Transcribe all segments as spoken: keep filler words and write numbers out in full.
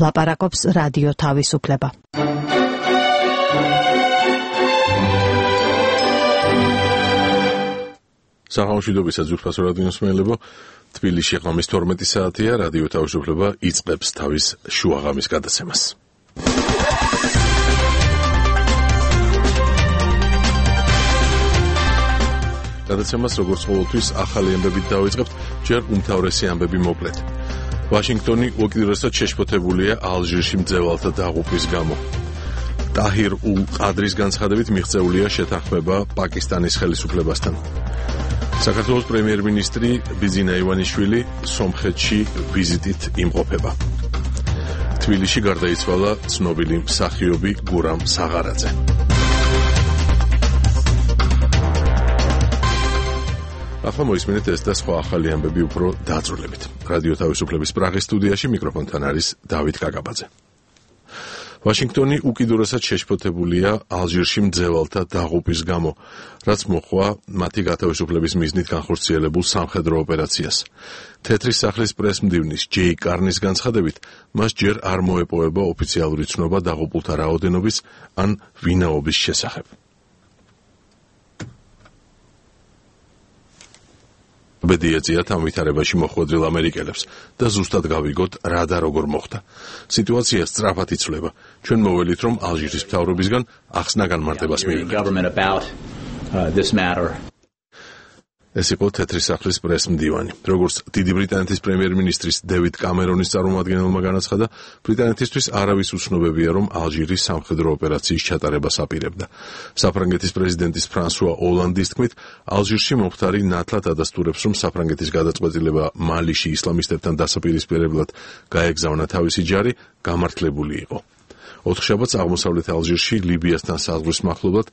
ლაპარაკობს რადიო თავისუფლება. საღამოშვიდობისა ძვირფასო რადიოსმენელებო, თბილისში ღამის თორმეტი საათია, რადიო თავისუფლება იწყებს თავის შუაღამის გადაცემას. გადაცემას როგორც ყოველთვის ახალი ამბებით დავიწყებთ, ჯერ უმთავრესი ამბები მოკლედ. ვაშინგტონი უკიდურესად შეშფოთებულია ალჟირში მძევალთა დაღუპვის გამო. ტაჰირ ულ-ყადრის განცხადებით მიღწეულია შეთანხმება პაკისტანის ხელისუფლებასთან. საქართველოს პრემიერ-მინისტრი ბიზინა ივანიშვილი სომხეთში ვიზიტით იმყოფება. თბილისში გარდაიცვალა ცნობილი მსახიობი გურამ საღარაძე. ახლა მოისმინეთ ეს და სხვა ახალი ამბები უფრო დაწვრილებით. რადიო თავისუფლების პრაღის სტუდიაში მიკროფონთან არის დავით კაკაბაძე. ვაშინგტონი უკიდურესად შეშფოთებულია ალჟირში მძევალთა დაღუპვის გამო, რაც მოჰყვა მათი გათავისუფლების მიზნით განხორციელებულ სამხედრო ოპერაციას. თეთრი სახლის პრესმდივნის ჯეი კარნის განცხადებით, მას ჯერ არ მოეპოვება ოფიციალური ცნობა დაღუპულთა რაოდენობის ან ვინაობის შესახებ. ბედი ეწიათ ამ ვითარებაში მოხვედრილ ამერიკელებს და ზუსტად გავიგოთ რა და როგორ მოხდა. სიტუაცია სწრაფად იცვლება. ჩვენ მოველით, რომ ალჟირის მთავრობისგან ახსნა განმარტებას მივიღეთ. ეს იყო თეთრი სახლის პრესმდივანი. როგორც დიდი ბრიტანეთის პრემიერ-მინისტრის დევიდ კამერონის წარმომადგენელმა განაცხადა, ბრიტანეთისთვის არავის უცნობებია, რომ ალჟირი სამხედრო ოპერაციის ჩატარებას აპირებდა. საფრანგეთის პრეზიდენტის ფრანსუა ოლანდის თქმით, ალჟირში მომხდარი ნათლად ადასტურებს, რომ საფრანგეთის გადაწყვეტილება მალიში ისლამისტებთან დასაპირისპირებლად გაეგზავნა თავისი ჯარი, გამართლებული იყო. ოთხშაბათს აღმოსავლეთ ალჟირში ლიბიასთან საზღვრის მახლობლად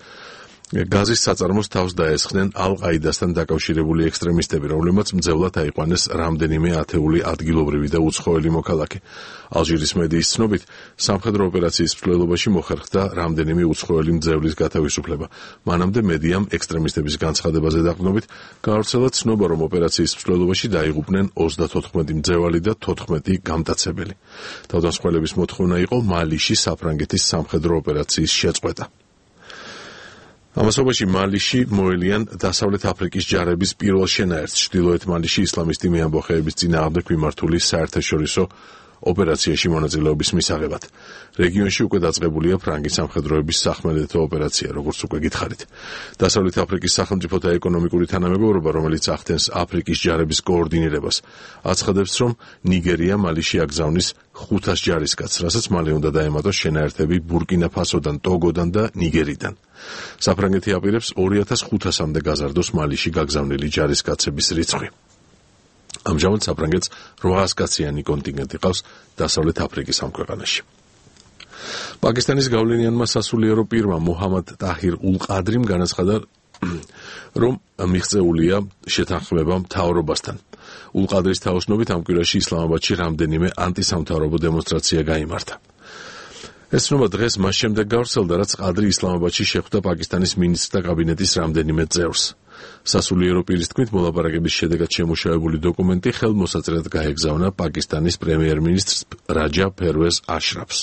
გაზის საწარმოს თავს დაესხნენ ალ-ყაიდასთან დაკავშირებული ექსტრემისტები, რომლებმაც მძევლად აიყვანეს რამდენიმე ათეული ადგილობრივი და უცხოელი მოქალაქე. ალჟირის მედიის ცნობით, სამხედრო ოპერაციის მსვლელობაში მოხერხდა რამდენიმე უცხოელი მძევლის გათავისუფლება. მანამდე მედიამ ექსტრემისტების განცხადებაზე დაყრდნობით გაავრცელა ცნობა, რომ ოპერაციის მსვლელობაში დაიღუპნენ ოცდათოთხმეტი მძევალი და თოთხმეტი გამტაცებელი. თავდამსხმელების მოთხოვნა იყო მალიში საფრანგეთის სამხედრო ოპერაციის შეწყვეტა. ამასობაში მალიში მოელიან დასავლეთ აფრიკის ჯარების პირველ შენაერთს ჩრდილოეთ მალიში ისლამისტი მეამბოხეების წინააღმდეგ მიმართული საერთაშორისო ოპერაციაში მონაწილეობის მისაღებად. რეგიონში უკვე დაწყებულია ფრანგი სამხედროების სახმელეთო ოპერაცია, როგორც უკვე გითხარით. დასავლეთ აფრიკის სახელმწიფოთა ეკონომიკური თანამეგობრობა, რომელიც ახდენს აფრიკის ჯარების კოორდინირებას, აცხადებს, რომ ნიგერია მალიში აგზავნის ხუთას ჯარისკაცს, რასაც მალე უნდა დაემატოს შენაერთები ბურკინა-ფასოდან, ტოგოდან და ნიგერიდან. საფრანგეთი აპირებს ორი ათას ხუთასამდე გაზარდოს მალიში გაგზავნილი ჯარისკაცების რიცხვი. ამჟამად საფრანგეთს რვაასკაციანი კონტინგენტი ყავს დასავლეთ აფრიკის ამ ქვეყანაში. პაკისტანის გავლენიანმა სასულიერო პირმა მუჰამად ტაჰირ ულ-ყადრიმ განაცხადა, რომ მიღწეულია შეთანხმება მთავრობასთან. ულ-ყადრის თაოსნობით ამ კვირაში ისლამაბადში რამდენიმე ანტისამთავრობო დემონსტრაცია გაიმართა. ეს ცნობა დღეს მას შემდეგ გავრცელდა, რაც ყადრი ისლამაბადში შეხვდა პაკისტანის მინისტრთა კაბინეტის რამდენიმე წევრს. სასულიერო პირის თქმით, მოლაპარაკების შედეგად შემუშავებული დოკუმენტი ხელმოსაწრედ გაეგზავნა პაკისტანის პრემიერ-მინისტრს რაჯა ფერვეზ აშრაფს.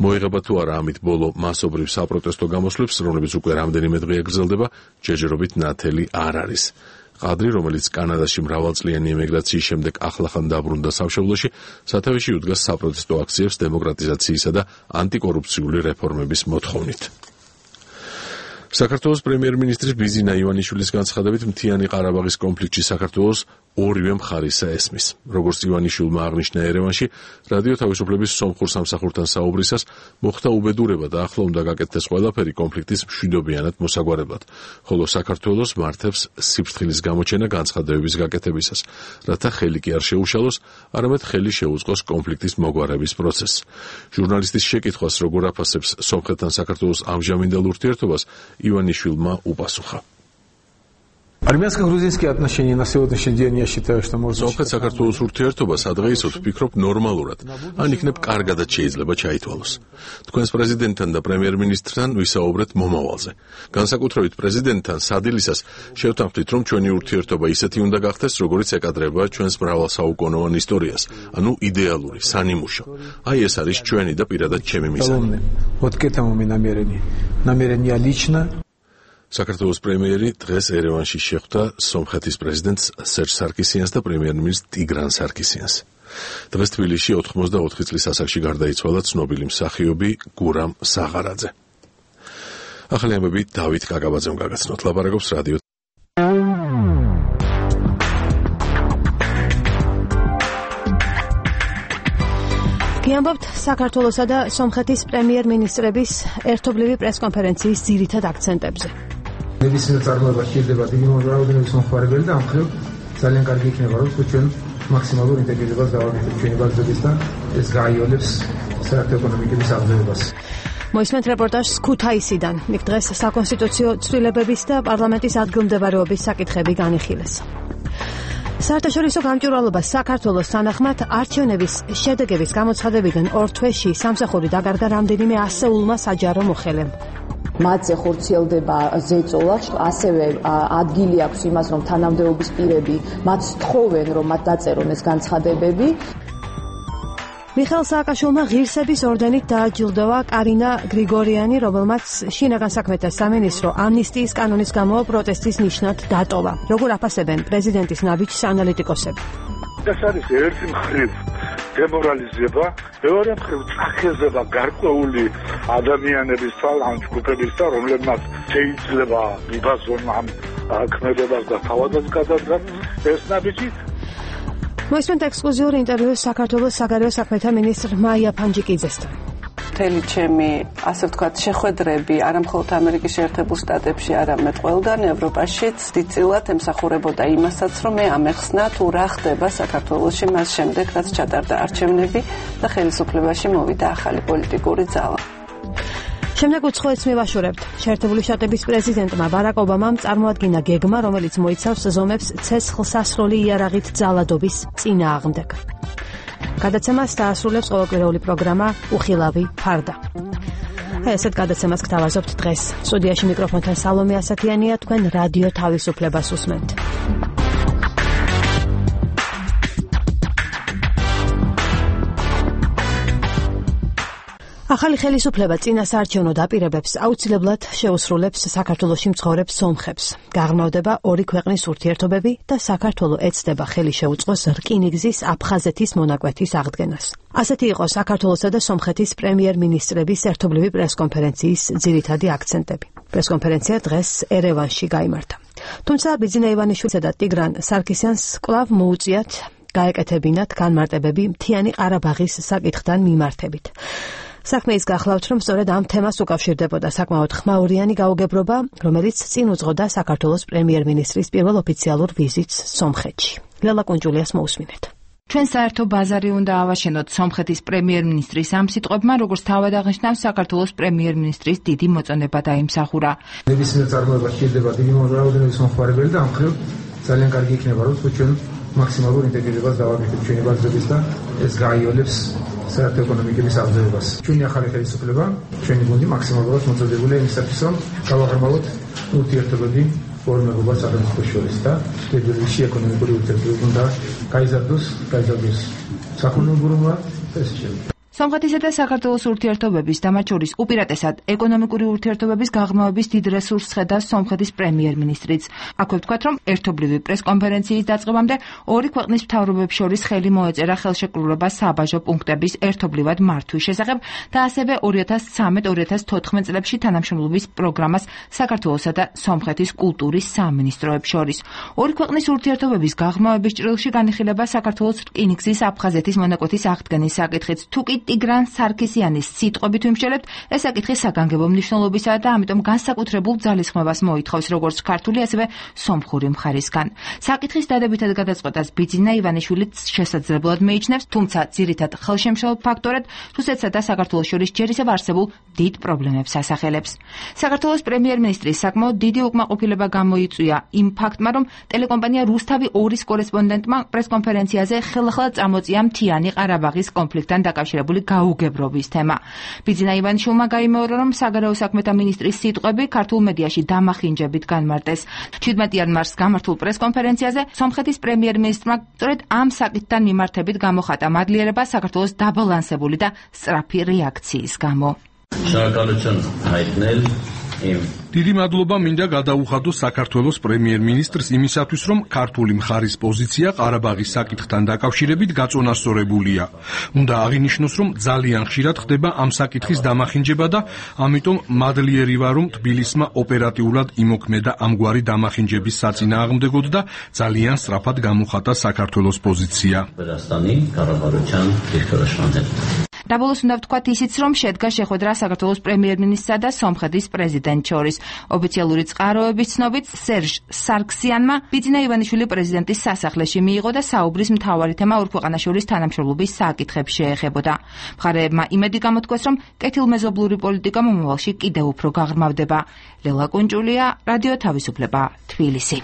მოიღება თუ არა ამით ბოლო მასობრივ საპროტესტო გამოსვლებს, რომლებიც უკვე რამდენიმე დღეა გრძელდება, ჯერჯერობით ნათელი არ არის. ყადრი, რომელიც კანადაში მრავალწლიანი ემიგრაციის შემდეგ ახლახან დაბრუნდა სამშობლოში, სათავეში უდგას საპროტესტო აქციებს დემოკრატიზაციისა და ანტიკორუფციული რეფორმების მოთხოვნით. საქართველოს პრემიერ-მინისტრის ბიზინა ივანიშვილის განცხადებით, მთიანი ყარაბაღის კონფლიქტში საქართველოს ორივე მხარისა ესმის. როგორც ივანიშვილმა აღნიშნა ერევანში, რადიო თავისუფლების სომხურ სამსახურთან საუბრისას მოხდა უბედურება და ახლა უნდა გაკეთდეს ყველაფერი კონფლიქტის მშვიდობიანად მოსაგვარებლად, ხოლო საქართველოს მართებს სიფრთხილის გამოჩენა განცხადებების გაკეთებისას, რათა ხელი კი არ შეუშალოს, არამედ ხელი შეუწყოს კონფლიქტის მოგვარების პროცესს. ჟურნალისტის შეკითხვას, როგორ აფასებს სომხეთთან საქართველოს ამჟამინდელ ურთიერთობას, ივანიშვილმა უპასუხა. Армянско-грузинские отношения на сегодняшний день, я считаю, что можно... Სომხეთ-საქართველოს ურთიერთობა სადღეისოდ ვფიქრობ ნორმალურად, ან იქნებ კარგადაც შეიძლება ჩაითვალოს. თქვენს პრეზიდენტთან და პრემიერ-მინისტრთან ვისაუბრეთ მომავალზე. განსაკუთრებით პრეზიდენტთან სადილისას შევთანხმდით, რომ ჩვენი ურთიერთობა ისეთი უნდა გახდეს, როგორც ეკადრება ჩვენს მრავალსაუკუნოვან ისტორიას, ანუ იდეალური, სანიმუშო. აი ეს არის ჩვენი და პირადად ჩემი მიზანი. Вот к этому мы намерены. Намерен я лично. საქართველოს პრემიერი დღეს ერევანში შეხვდა სომხეთის პრეზიდენტს სერჟ სარკისიანს და პრემიერ-მინისტრ ტიგრან სარკისიანს. დღეს თბილისში ოთხმოცდაოთხი წლის ასაკში გარდაიცვალა ცნობილი მსახიობი გურამ საღარაძე. ახალი ამბები დავით კაკაბაძემ გაგაცნოთ. ლაპარაკობს რადიო. გიამბობთ საქართველოსა და სომხეთის პრემიერ-მინისტრების ერთობლივი პრესკონფერენციის ძირითად აქცენტებზე. ნებისმიერ წარმოებაში შეიძლება დიდი რაოდენობის მომხმარებელი და ამ მხრივ ძალიან კარგი იქნება, რომ ჩვენ მაქსიმალურ ინტეგრირებას დავაკეთებთ ჩვენი ბაზისთან, ეს გაიოლებს საერთო-ეკონომიკების აღზევებას. მოისმენთ რეპორტაჟს ქუთაისიდან. იქ დღეს საკონსტიტუციო ცვლილებების და პარლამენტის ადგილმდებარეობის საკითხები განიხილეს. საერთაშორისო გამჭვირვალობას საქართველოს თანახმად არჩევნების შედეგების გამოცხადებიდან ორ თვეში სამსახური დაკარგა რამდენიმე ასეულმა საჯარო მოხელემ. მათზე ხორციელდება ზეწოლა, ასევე ადგილი აქვს იმას, რომ თანამდებობის პირები მათ სთხოვენ, რომ მათ დაწერონ ეს განცხადებები. მიხეილ სააკაშვილმა ღირსების ორდენით დააჯილდოვა კარინა გრიგორიანი, რომელმაც შინაგან საქმეთა სამინისტრო ამნისტიის კანონის გამო პროტესტის ნიშნად დატოვა. როგორ აფასებენ პრეზიდენტის ნაბიჯს ანალიტიკოსები? ეს არის ერთი მხრივ დემორალიზება, მეორე მხრივ წახეზება გარკვეული ადამიანების ან ჯგუფების და რომლებმაც შეიძლება მიბაზონ ამ ქმედებას და თავადაც გადადგან ეს ნაბიჯი. მოისმენთ ექსკლუზიური ინტერვიუ საქართველოს საგარეო საქმეთა მინისტრ მაია ფანჯიკიძესთან. მთელი ჩემი, ასე ვთქვათ, შეხვედრები არა მხოლოდ ამერიკის შეერთებულ შტატებში, არამედ ყველგან ევროპაშიც დიდწილად ემსახურებოდა იმასაც, რომ მე ამეხსნა თუ რა ხდება საქართველოში მას შემდეგ, რაც ჩატარდა არჩევნები და ხელისუფლებაში მოვიდა ახალი პოლიტიკური ძალა. შემდეგ უცხოეთს მივაშურებთ. შეერთებული შტატების პრეზიდენტმა ბარაკ ობამამ წარმოადგინა გეგმა, რომელიც მოიცავს ზომებს ცეცხლსასროლი იარაღით ძალადობის წინააღმდეგ. გადაცემას დაასრულებს ყოველკვირეული პროგრამა უხილავი ფარდა. ესეთ გადაცემას გთავაზობთ დღეს. სტუდიაში მიკროფონთან სალომე ასათიანია, თქვენ რადიო თავისუფლებას უსმენთ. ახალი ხელისუფლება წინასაარჩევნო დაპირებებს აუცილებლად შეუსრულებს საქართველოში მცხოვრებ სომხებს. გაღრმავდება ორი ქვეყნის ურთიერთობები და საქართველო ეცდება ხელი შეუწყოს რკინიგზის აფხაზეთის მონაკვეთის აღდგენას. ასეთი იყო საქართველოსა და სომხეთის პრემიერ-მინისტრების ერთობლივი პრესკონფერენციის ძირითადი აქცენტები. პრესკონფერენცია დღეს ერევანში გაიმართა. თუმცა ბიძინა ივანიშვილისა და ტიგრან სარკისიანს კვლავ მოუწიათ გაეკეთებინათ განმარტებები მთიანი ყარაბაღის საკითხთან მიმართებით. საქმე ის გახლავთ, რომ სწორედ ამ თემას უკავშირდებოდა საკმაოდ ხმაურიანი გაუგებრობა, რომელიც წინ უძღოდა საქართველოს პრემიერ-მინისტრის პირველ ოფიციალურ ვიზიტს სომხეთში. ლელა კუნჯულიას მოусმინეთ. ჩვენ საერთო ბაზარი უნდა ავაშენოთ სომხეთის პრემიერ-მინისტრის ამ სიტყვებმა, როგორც თავად აღნიშნავს საქართველოს პრემიერ-მინისტრის დიდი მოწონება დაიმსახურა. ნებისმიერ წარმოებაში შეიძლება დიდი რაოდენობის მომხმარებელი და ამ მხრივ ძალიან კარგი იქნება, რომ ჩვენ მაქსიმალურ ინტეგრირებას დავაკეთებთ ჩვენი ბაზისთან, ეს გაიოლებს საერთო-ეკონომიკების აღზევებას. ჩვენი ახალი ხელისუფლება, ჩვენი გუნდი მაქსიმალურად მოწოდებულია იმისათვის, რომ გავაღრმავოთ ურთიერთობები ორ მეგობრად სახელმწიფოს შორის და ფედერალში ეკონომიკური ურთიერთობები უნდა გაიზარდოს, გაიზარდოს საქონელურობა და ეს შემდეგ. სომხეთისა და საქართველოს ურთიერთობების და მათ შორის უპირატესად ეკონომიკური ურთიერთობების გაღრმავების დიდ რესურსს ხედავს სომხეთის პრემიერ-მინისტრიც. აქვე ვთქვათ, რომ ერთობლივი პრესკონფერენციის დაწყებამდე ორი ქვეყნის მთავრობებს შორის ხელი მოეწერა ხელშეკრულება საბაჟო პუნქტების ერთობლივად მართვის შესახებ და ასევე ორი ათას ცხრამეტ ორი ათას თოთხმეტ წლებში თანამშრომლობის პროგრამას საქართველოსა და სომხეთის კულტურის სამინისტროებს შორის. ორი ქვეყნის ურთიერთობების გაღრმავების ჭრილში განიხილება საქართველოს რკინიგზის აფხაზეთის მონაკვეთის აღდგენის საკითხიც. თუ კი ტიგრან სარქისიანის სიტყვებით ვიმსჯელებთ, ეს საკითხი საგანგებო მნიშვნელობისაა და ამიტომ განსაკუთრებულ ძალისხმევას მოითხოვს როგორც ქართული, ასევე სომხური მხარისგან. საკითხის დადებითად გადაწყვეტას ბიძინა ივანიშვილი შესაძლებლად მიიჩნევს, თუმცა ძირითად ხელშემშლელ ფაქტორად რუსეთსა და საქართველოს შორის ჯერ ისევ არსებულ დიდ პრობლემებს ასახელებს. საქართველოს პრემიერ-მინისტრის საკმაოდ დიდი უკმაყოფილება გამოიწვია იმ ფაქტმა, რომ ტელეკომპანია რუსთავი ორის კორესპონდენტმა პრესკონფერენციაზე ხელახლა წამოწია მთიანი ყარაბაღის კონფლიქტთან დაკავშირებული გაუგებრობის თემა. ბიძინა ივანიშვილმა გაიმეორა, რომ საგარეო საქმეთა მინისტრის სიტყვები ქართულ მედიაში დამახინჯებით განმარტეს. შვიდმეტი იანვარს გამართულ პრესკონფერენციაზე სომხეთის პრემიერ-მინისტრმა სწორედ ამ საკითხთან მიმართებით გამოხატა მადლიერება საქართველოს დაბალანსებული და სწრაფი რეაქციის გამო. Շնորհակալություն հայտնել իմ დიდი მადლობა მინდა გადაუხადო საქართველოს პრემიერ-მინისტრს იმისათვის, რომ ქართული მხარის პოზიცია ყარაბაღის საკითხთან დაკავშირებით გაწონასწორებულია. უნდა აღინიშნოს, რომ ძალიან ხშირად ხდება ამ საკითხის დამახინჯება და ამიტომ მადლიერი ვარ, რომ თბილისმა ოპერატიულად იმოქმედა ამგვარი დამახინჯების საწინააღმდეგოდ და ძალიან სწრაფად გამოხატა საქართველოს პოზიცია. Վրաստանի կառավարության դիրքորոշման Დაბოლოს უნდა ვთქვათ ისიც, რომ შედგა შეხვედრა საქართველოს პრემიერ-მინისტრსა და სომხეთის პრეზიდენტს შორის. ოფიციალური წყაროების ცნობით, სერჟ სარქსიანმა ბიძინა ივანიშვილი პრეზიდენტის სასახლეში მიიღო და საუბრის მთავარი თემა ორ ქვეყანას შორის თანამშრომლობის საკითხებს შეეხებოდა. მხარეებმა იმედი გამოთქვეს, რომ კეთილმეზობლური პოლიტიკა მომავალში კიდევ უფრო გაღრმავდება. ლელა კუნჭულია, რადიო თავისუფლება, თბილისი.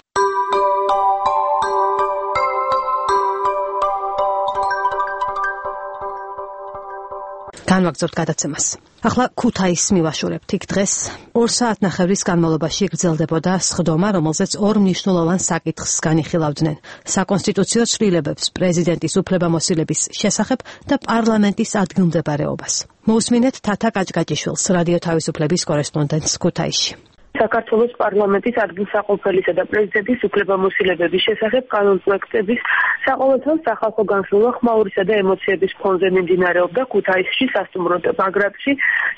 განვაგრძობთ გადაცემას. ახლა ქუთაისს მივაშორებთ. იქ დღეს ორ საათნახევრის განმავლობაში გრძელდებოდა სხდომა, რომელზეც ორ მნიშვნელოვან საკითხს განიხილავდნენ: საკონსტიტუციო ცვლილებებს, პრეზიდენტის უფლებამოსილების შესახებ და პარლამენტის ადგილმდებარეობას. მოусმინეთ თათა კაჭკაჭიშვილს, რადიო თავისუფლების კორესპონდენტს ქუთაისში. საქართველოს პარლამენტის ადგილსაყოფელისა და პრეზიდენტის უფლებამოსილებების შესახებ კანონპროექტების საყოველთაო სახალხო განხილვა ხმაურისა და ემოციების ფონზე მიმდინარეობდა ქუთაისში სასტუმრო ბაგრატში.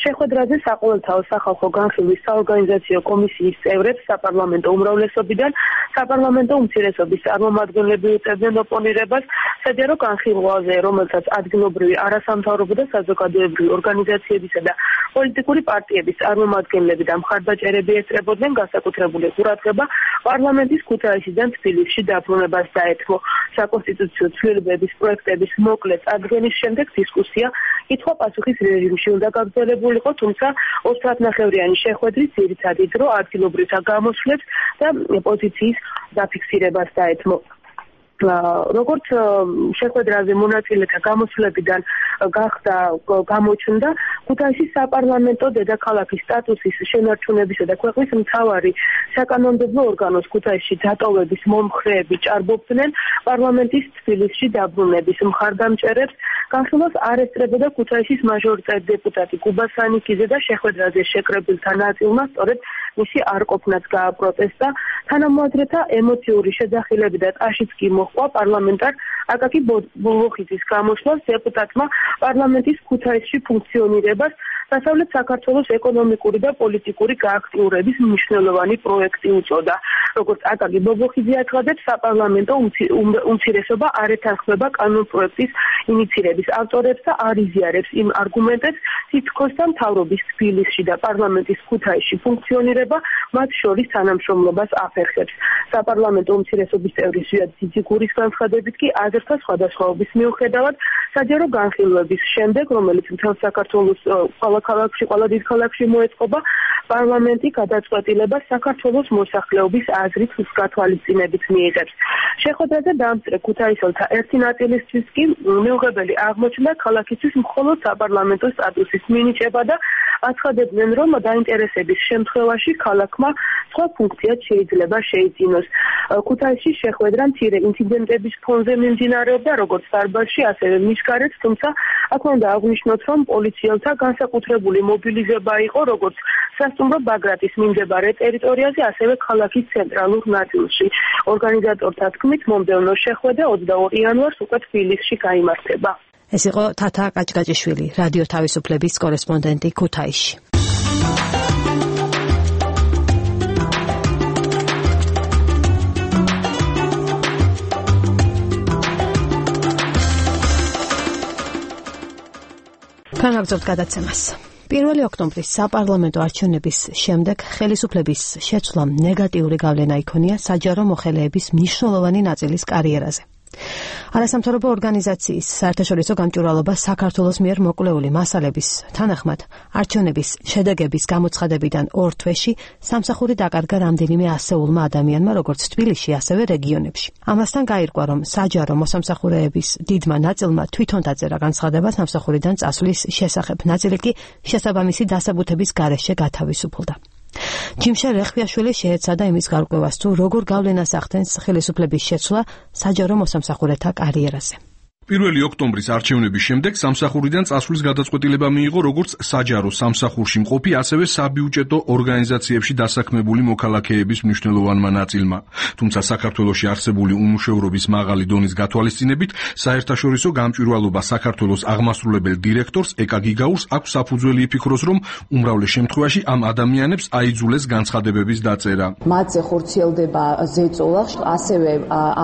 შეხვედრაზე საყოველთაო სახალხო განხილვის საორგანიზაციო კომისიის წევრებს საპარლამენტო უმრავლესობიდან საპარლამენტო უმცირესობის წარმომადგენლები უწევდნენ ოპონირებას საჯარო განხილვაზე, რომელსაც ადგილობრივი არასამთავრობო და საზოგადოებრივი ორგანიზაციებისა და პოლიტიკური პარტიების წარმომადგენლები და მხარდაჭერები ესწრებოდნენ. განსაკუთრებული ყურადღება პარლამენტის ქუთაისიდან თბილისში დაბრუნებას დაეთმო. საკონსტიტუციო ცვლილებების პროექტების მოკლე წარდგენის შემდეგ დისკუსია კითხვა-პასუხის რეჟიმში უნდა გაგრძელებულიყო, თუმცა ორ საათნახევრიანი შეხვედრის ძირითადი დრო ადგილობრივთა გამოსვლებს და პოზიციის დაფიქსირებას დაეთმო. როგორც შეხვედრაზე მონაწილეთა გამოსვლებიდან გახდა გამოჩნდა, ქუთაისის საპარლამენტო დედაქალაქის სტატუსის შენარჩუნებისა და ქვეყნის მთავარი საკანონმდებლო ორგანოს ქუთაისში დატოვების მომხრეები ჭარბობდნენ პარლამენტის თბილისში დაბრუნების მხარდამჭერებს. განხილვას არ ესწრებოდა ქუთაისის მაჟორიტეტი დეპუტატი კუბა სანიკიძე და შეხვედრაზე შეკრებილთა ნაწილმა სწორედ მისი არყოფნაც გააპროტესტა. თანამოაზრეთა ემოციური შეძახილები და ტაშიც კი მოჰყვა პარლამენტარ აკაკი ბოლოხიძის გამოსვლას. დეპუტატმა პარლამენტის ქუთაისში ფუნქციონირებას დასავლეთ საქართველოს ეკონომიკური და პოლიტიკური გააქტიურების მნიშვნელოვანი პროექტი უწოდა. როგორც აკაკი ბოლოხიძე აცხადებს, საპარლამენტო უმცირესობა არ ეთანხმება კანონპროექტის ინიცირების ავტორებს და არ იზიარებს იმ არგუმენტებს, თითქოსთან მთავრობის თბილისში და პარლამენტის ქუთაისში ფუნქციონირება მათ შორის თანამშრომლობას აფერხებს. საპარლამენტო უმცირესობის წევრის ზვიად ძიძიგურის განცხადებით კი აზრთა სხვადასხვაობის მიუხედავად საჯარო განხილვების შემდეგ, რომელიც მთელ საქართველოს ყველა ქალაქში, ყველა დიდ ქალაქში მოეწყობა, პარლამენტი გადაწყვეტილებას საქართველოს მოსახლეობის აზრით გათვალისწინებით მიიღებს. შეხვედრაზე დაამწრე ქუთაისელთა ერთი ნაწილისთვის კი მიუღებელი აღმოჩნდა ქალაქისთვის მხოლოდ საპარლამენტო სტატუსის მინიჭება და აცხადებდნენ, რომ დაინტერესების შემთხვევაში ქალაქმა სხვა ფუნქციაც შეიძლება შეიძინოს. ქუთაისში შეხვედრა მცირე ინციდენტების ფონზე მიმდინარეობდა, როგორც დარბაზში, ასევე მის გარეთ, თუმცა აქ უნდა აღვნიშნოთ, რომ პოლიციელთა განსაკუთრებული მობილიზება იყო როგორც სასტუმრო ბაგრატის მიმდებარე ტერიტორიაზე, ასევე ქალაქის ცენტრალურ ნაწილში. ორგანიზატორთა თქმით, მომდევნო შეხვედრა ოცდაორ იანვარს უკვე თბილისში გაიმართება. ეს იყო თათა კაჭკაჭიშვილი, რადიო თავისუფლების კორესპონდენტი ქუთაისში. განაგრძობთ გადაცემას. პირველი ოქტომბრის საპარლამენტო არჩევნების შემდეგ ხელისუფლების შეცვლამ ნეგატიური გავლენა იქონია საჯარო მოხელეების მნიშვნელოვანი ნაწილის კარიერაზე. არასამთავრობო ორგანიზაციის საერთაშორისო გამჭვირვალობა საქართველოს მიერ მოკვლეული მასალების თანახმად არჩევნების შედეგების გამოცხადებიდან ორ თვეში სამსახური დაკარგა რამდენიმე ასეულმა ადამიანმა, როგორც თბილისში, ასევე რეგიონებში. ამასთან გაირკვა, რომ საჯარო მოსამსახურეების დიდმა ნაწილმა თვითონ დაწერა განცხადება სამსახურიდან წასვლის შესახებ, ნაწილი კი შესაბამისი დასაბუთების გარეშე გათავისუფლდა. ჯიმშე რეხვიაშვილი შეეცადა იმის გარკვევას, თუ როგორ გავლენას ახდენს ხელისუფლების შეცვლა საჯარო მოსამსახურეთა კარიერაზე. პირველი ოქტომბრის არჩევნების შემდეგ სამსახურიდან წასვლის გადაწყვეტილება მიიღო როგორც საჯარო სამსახურში მყოფი, ასევე საბიუჯეტო ორგანიზაციებში დასაქმებული მოქალაქეების მნიშვნელოვანმა ნაწილმა. თუმცა საქართველოში არსებული უმუშევრობის მაღალი დონის გათვალისწინებით, საერთაშორისო გამჭვირვალობა საქართველოს აღმასრულებელ დირექტორს ეკა გიგაურს აქვს საფუძველი იფიქროს, რომ უმრავლეს შემთხვევაში ამ ადამიანებს აიძულეს განცხადებების დაწერა. მათზე ხორციელდება ზეწოლა, ასევე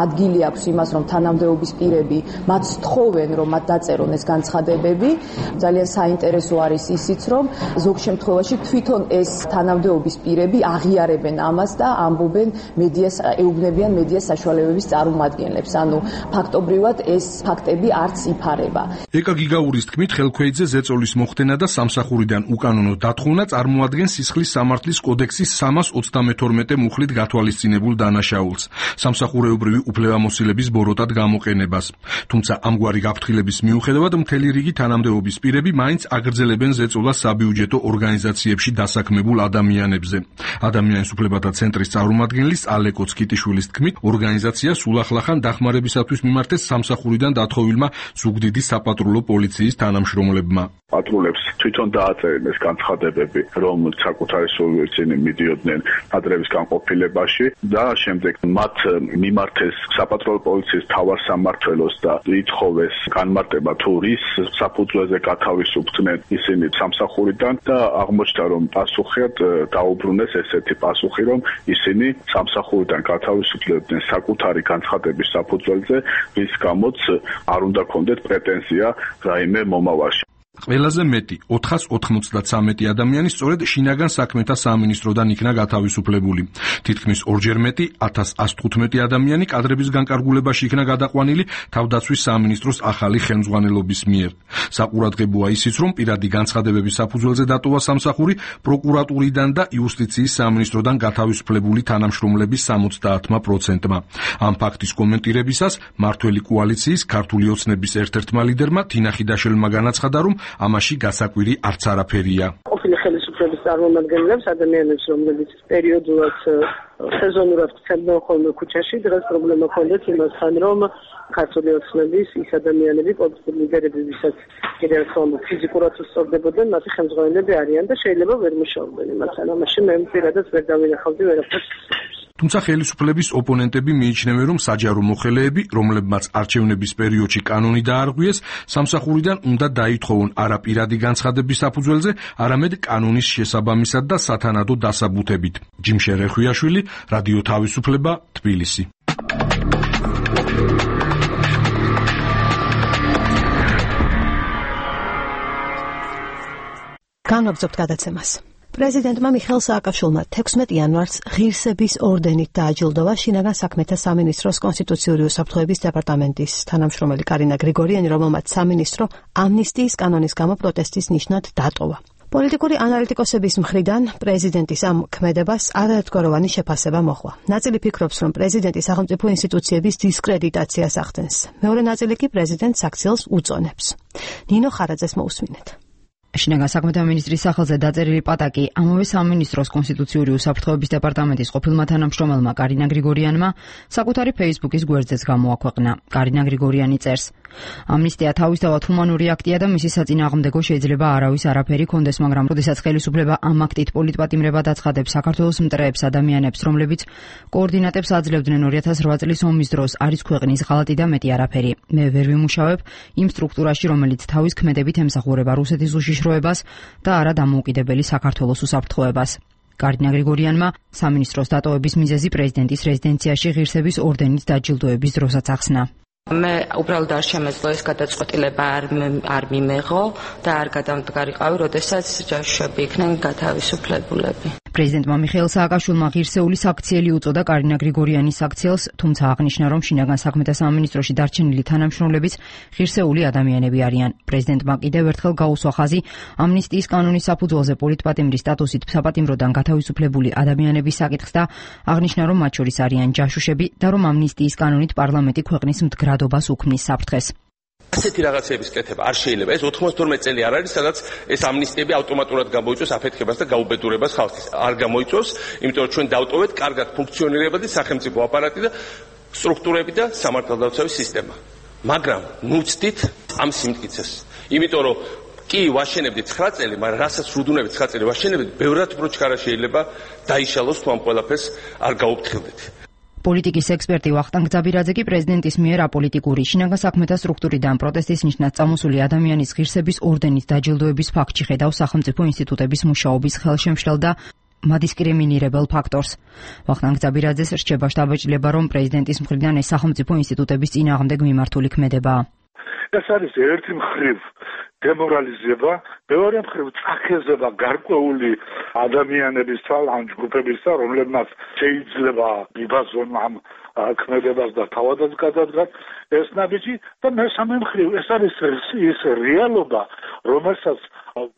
ადგილი აქვს იმას, რომ თანამდებობის პირები მათ თხოვენ, რომ მათ დაწერონ ეს განცხადებები. ძალიან საინტერესო არის ისიც, რომ ზოგ შემთხვევაში თვითონ ეს თანამდებობის პირები აღიარებენ ამას და ამბობენ მედიას, ეუბნებიან მედიას საშუალებების წარმომადგენლებს. ანუ ფაქტობრივად ეს ფაქტები არც იფარება. ეკა გიგაურის თქმით, ხელქვეითზე ზეწოლის მოხდენა და სამსახურიდან უკანონო დათხოვნა წარმოადგენს სისხლის სამართლის კოდექსის სამას ოცდამეთორმეტე მუხლით გათვალისწინებულ დანაშაულს, სამსახურეობრივი უფლებამოსილების ბოროტად გამოყენებას. თუმცა ამგვარი გაფრთხილების მიუხედავად მთელი რიგი თანამდებობის პირები მაინც აგრძელებენ ზეწოლას საბიუჯეტო ორგანიზაციებში დასაქმებულ ადამიანებზე. ადამიანის უფლებათა ცენტრის წარმომადგენლის ალეკო ცკიტიშვილის თქმით, ორგანიზაცია სულახლახან დახმარებისათვის მიმართეს სამსახურიდან დათხოვილმა ზუგდიდის საპატრულო პოლიციის თანამშრომლებმა. პატრულებს თვითონ დააწერენ ეს განცხადებები, რომ საკუთარი სულვერცინი მიდიოდნენ ადრევის განყოფილებაში და შემდეგ მათ მიმართეს საპატრულო პოლიციის მთავარ სამმართველოს და ითხოვეს განმარტება, თუ რის საფუძველზე გათავისუფლდნენ ისინი სამსახურიდან და აღმოჩნდა, რომ პასუხად დაუბრუნეს ესეთი პასუხი, რომ ისინი სამსახურიდან გათავისუფლებდნენ საკუთარი განცხადების საფუძველზე, რის გამოც არ უნდა ქონდეთ პრეტენზია რაიმე მომავალში. ყველაზე მეტი ოთხას ოთხმოცდათსამეტი ადამიანი სწორედ შინაგან საქმეთა სამინისტროდან იქნა გათავისუფლებული. თითქმის ორჯერ მეტი ათას ას თხუთმეტი ადამიანი კადრების განკარგულებაში იქნა გადაყვანილი თავდაცვის სამინისტროს ახალი ხელმძღვანელობის მიერ. საყურადღებოა ისიც, რომ პირადი განცხადებების საფუძველზე დატოვა სამსახური პროკურატურიდან და იუსტიციის სამინისტროდან გათავისუფლებული თანამშრომლების სამოცდაათმა პროცენტმა. ამ ფაქტის კომენტირებისას მართველი კოალიციის ქართული ოცნების ერთ-ერთმა ლიდერმა თინა ხიდაშელმა განაცხადა, რომ ამაში გასაკვირი არც არაფერია. ყოფილი ხელისუფლების წარმომადგენლებს, ადამიანებს, რომლებიც პერიოდულად სეზონურად ვრცელდნენ ხოლმე ქუჩაში, დღეს პრობლემა ჰქონდათ იმასთან, რომ ქართული ოცნების ის ადამიანები, პოლიტიკური ლიდერები, ვისაც კიდევ ერთხელ ფიზიკურად უსწორდებოდნენ, მათი ხელმძღვანელები არიან და შეიძლება ვერ მუშაობდნენ იმასთან. ამაში მე პირადად ვერ დავინახავდი ვერაფერს. თუმცა ხელისუფლების ოპონენტები მიიჩნევენ, რომ საჯარო მოხელეები, რომლებმაც არჩევნების პერიოდში კანონი დაარღვიეს, სამსახურიდან უნდა დაითხოვონ არა პირადი განცხადების საფუძველზე, არამედ კანონის შესაბამისად და სათანადო დასაბუთებით. ჯიმშე რეხვიაშვილი, რადიო თავისუფლება, თბილისი. განაგრძობთ გადაცემას. პრეზიდენტმა მიხეილ სააკაშვილმა თექვსმეტ იანვარს ღირსების ორდენით დააჯილდოვა შინაგან საქმეთა სამინისტროს კონსტიტუციური უსაფრთხოების დეპარტამენტის თანამშრომელი კარინა გრიგორიანი, რომელმაც სამინისტრო ამნისტიის კანონის გამო პროტესტის ნიშნად დატოვა. პოლიტიკური ანალიტიკოსების მხრიდან პრეზიდენტის ამ ქმედებას არაერთგვაროვანი შეფასება მოჰყვა. ნაწილი ფიქრობს, რომ პრეზიდენტი სახელმწიფო ინსტიტუციების დისკრედიტაციას ახდენს. მეორე ნაწილი კი პრეზიდენტს აქციელს უწონებს. ნინო ხარაძეს მოусმინეთ. შინაგან საქმეთა მინისტრის სახელზე დაწერილი პატაკი ამავე სამინისტროს კონსტიტუციური უსაფრთხოების დეპარტამენტის ყოფილმა თანამშრომელმა კარინა გრიგორიანმა საკუთარი ფეისბუქის გვერდზეც გამოაქვეყნა. კარინა გრიგორიანი წერს: ამნისტია თავისთავად ჰუმანური აქტია და მისი საწინააღმდეგო შეიძლება არავის არაფერი კონდეს, მაგრამ როდესაც ხელისუფლება ამ აქტით პოლიტპატიმრებად აცხადებს საქართველოს მტრეებს, ადამიანებს, რომლებიც კოორდინატებს აძლევდნენ ორი ათას რვა წლის ომის დროს, არის ქვეყნის ღალატი და მეტი არაფერი. მე ვერ ვიმუშავებ იმ სტრუქტურაში, რომელიც თავის ქმედებით ემსახურება რუსეთის უშიშროებას და არა დამოუკიდებელი საქართველოს უსაფრთხოებას. კარინა გრიგორიანმა სამინისტროს დატოვების მიზეზი პრეზიდენტის რეზიდენციაში ღირსების ორდენით დაჯილდოების დროსაც ახსნა. მე უბრალოდ არ შემეძლო ეს გადაწყვეტილება არ არ მიმეღო და არ გადამდგარიყავი, როდესაც ჯაშუშები იქნენ გათავისუფლებულები. პრეზიდენტმა მიხეილ სააკაშვილმა ღირსეული საქციელი უწოდა კარინა გრიგორიანის საქციელს, თუმცა აღნიშნა, რომ შინაგან საქმეთა სამინისტროში დარჩენილი თანამშრომლებიც ღირსეული ადამიანები არიან. პრეზიდენტმა კიდევ ერთხელ გაუსვა ხაზი ამნისტიის კანონის საფუძველზე პოლიტპატიმრის სტატუსით საპატიმროდან გათავისუფლებული ადამიანების საკითხს და აღნიშნა, რომ მათ შორის არიან ჯაშუშები და რომ ამნისტიის კანონით პარლამენტი ქვეყნის მდგრადობას უქმნის საფრთხეს. ასეთი რაღაცების კეთება არ შეიძლება. ეს ოთხმოცდაათი წელი არ არის, სადაც ეს ამნისტიები ავტომატურად გამოიწვევს აფეთქებას და გაუბედურებას ხალხის. არ გამოიწვევს, იმიტომ რომ ჩვენ დავტოვეთ კარგად ფუნქციონირებადი სახელმწიფო აპარატი და სტრუქტურები და სამართალდაცვის სისტემა. მაგრამ ნუცდით ამ სიმტკიცეს. იმიტომ რომ კი ვაშენებდით ცხრა წელი, მაგრამ რასაც რუდუნებით ცხრა წელი ვაშენებდით, ბევრად უფრო ჩქარა შეიძლება დაიშალოს თუ ამ ყველაფერს არ გაუფრთხილდით. პოლიტიკის ექსპერტი ვახტანგ ძაბირაძე კი პრეზიდენტის მიერ აპოლიტიკური შინაგან საქმეთა სტრუქტურიდან პროტესტის ნიშნად წამოსული ადამიანის ღირსების ორდენით დაჯილდოების ფაქტში ხედავს სახელმწიფო ინსტიტუტების მუშაობის ხელშემშლელ და მადისკრიმინირებელ ფაქტორს. ვახტანგ ძაბირაძეს რჩება შთაბეჭდილება, რომ პრეზიდენტის მხრიდან ეს სახელმწიფო ინსტიტუტების წინააღმდეგ მიმართული ქმედებაა. ეს არის ერთი მხრივ დემორალიზება, მეორე მხრივ წახეზება გარკვეული ადამიანების ან ჯგუფების, რომლებმაც შეიძლება იბაზონ ამ ქმედებას და თავადაც გადადგან ეს ნაბიჯი და მესამე მხრივ ეს არის ის რეალობა, რომელსაც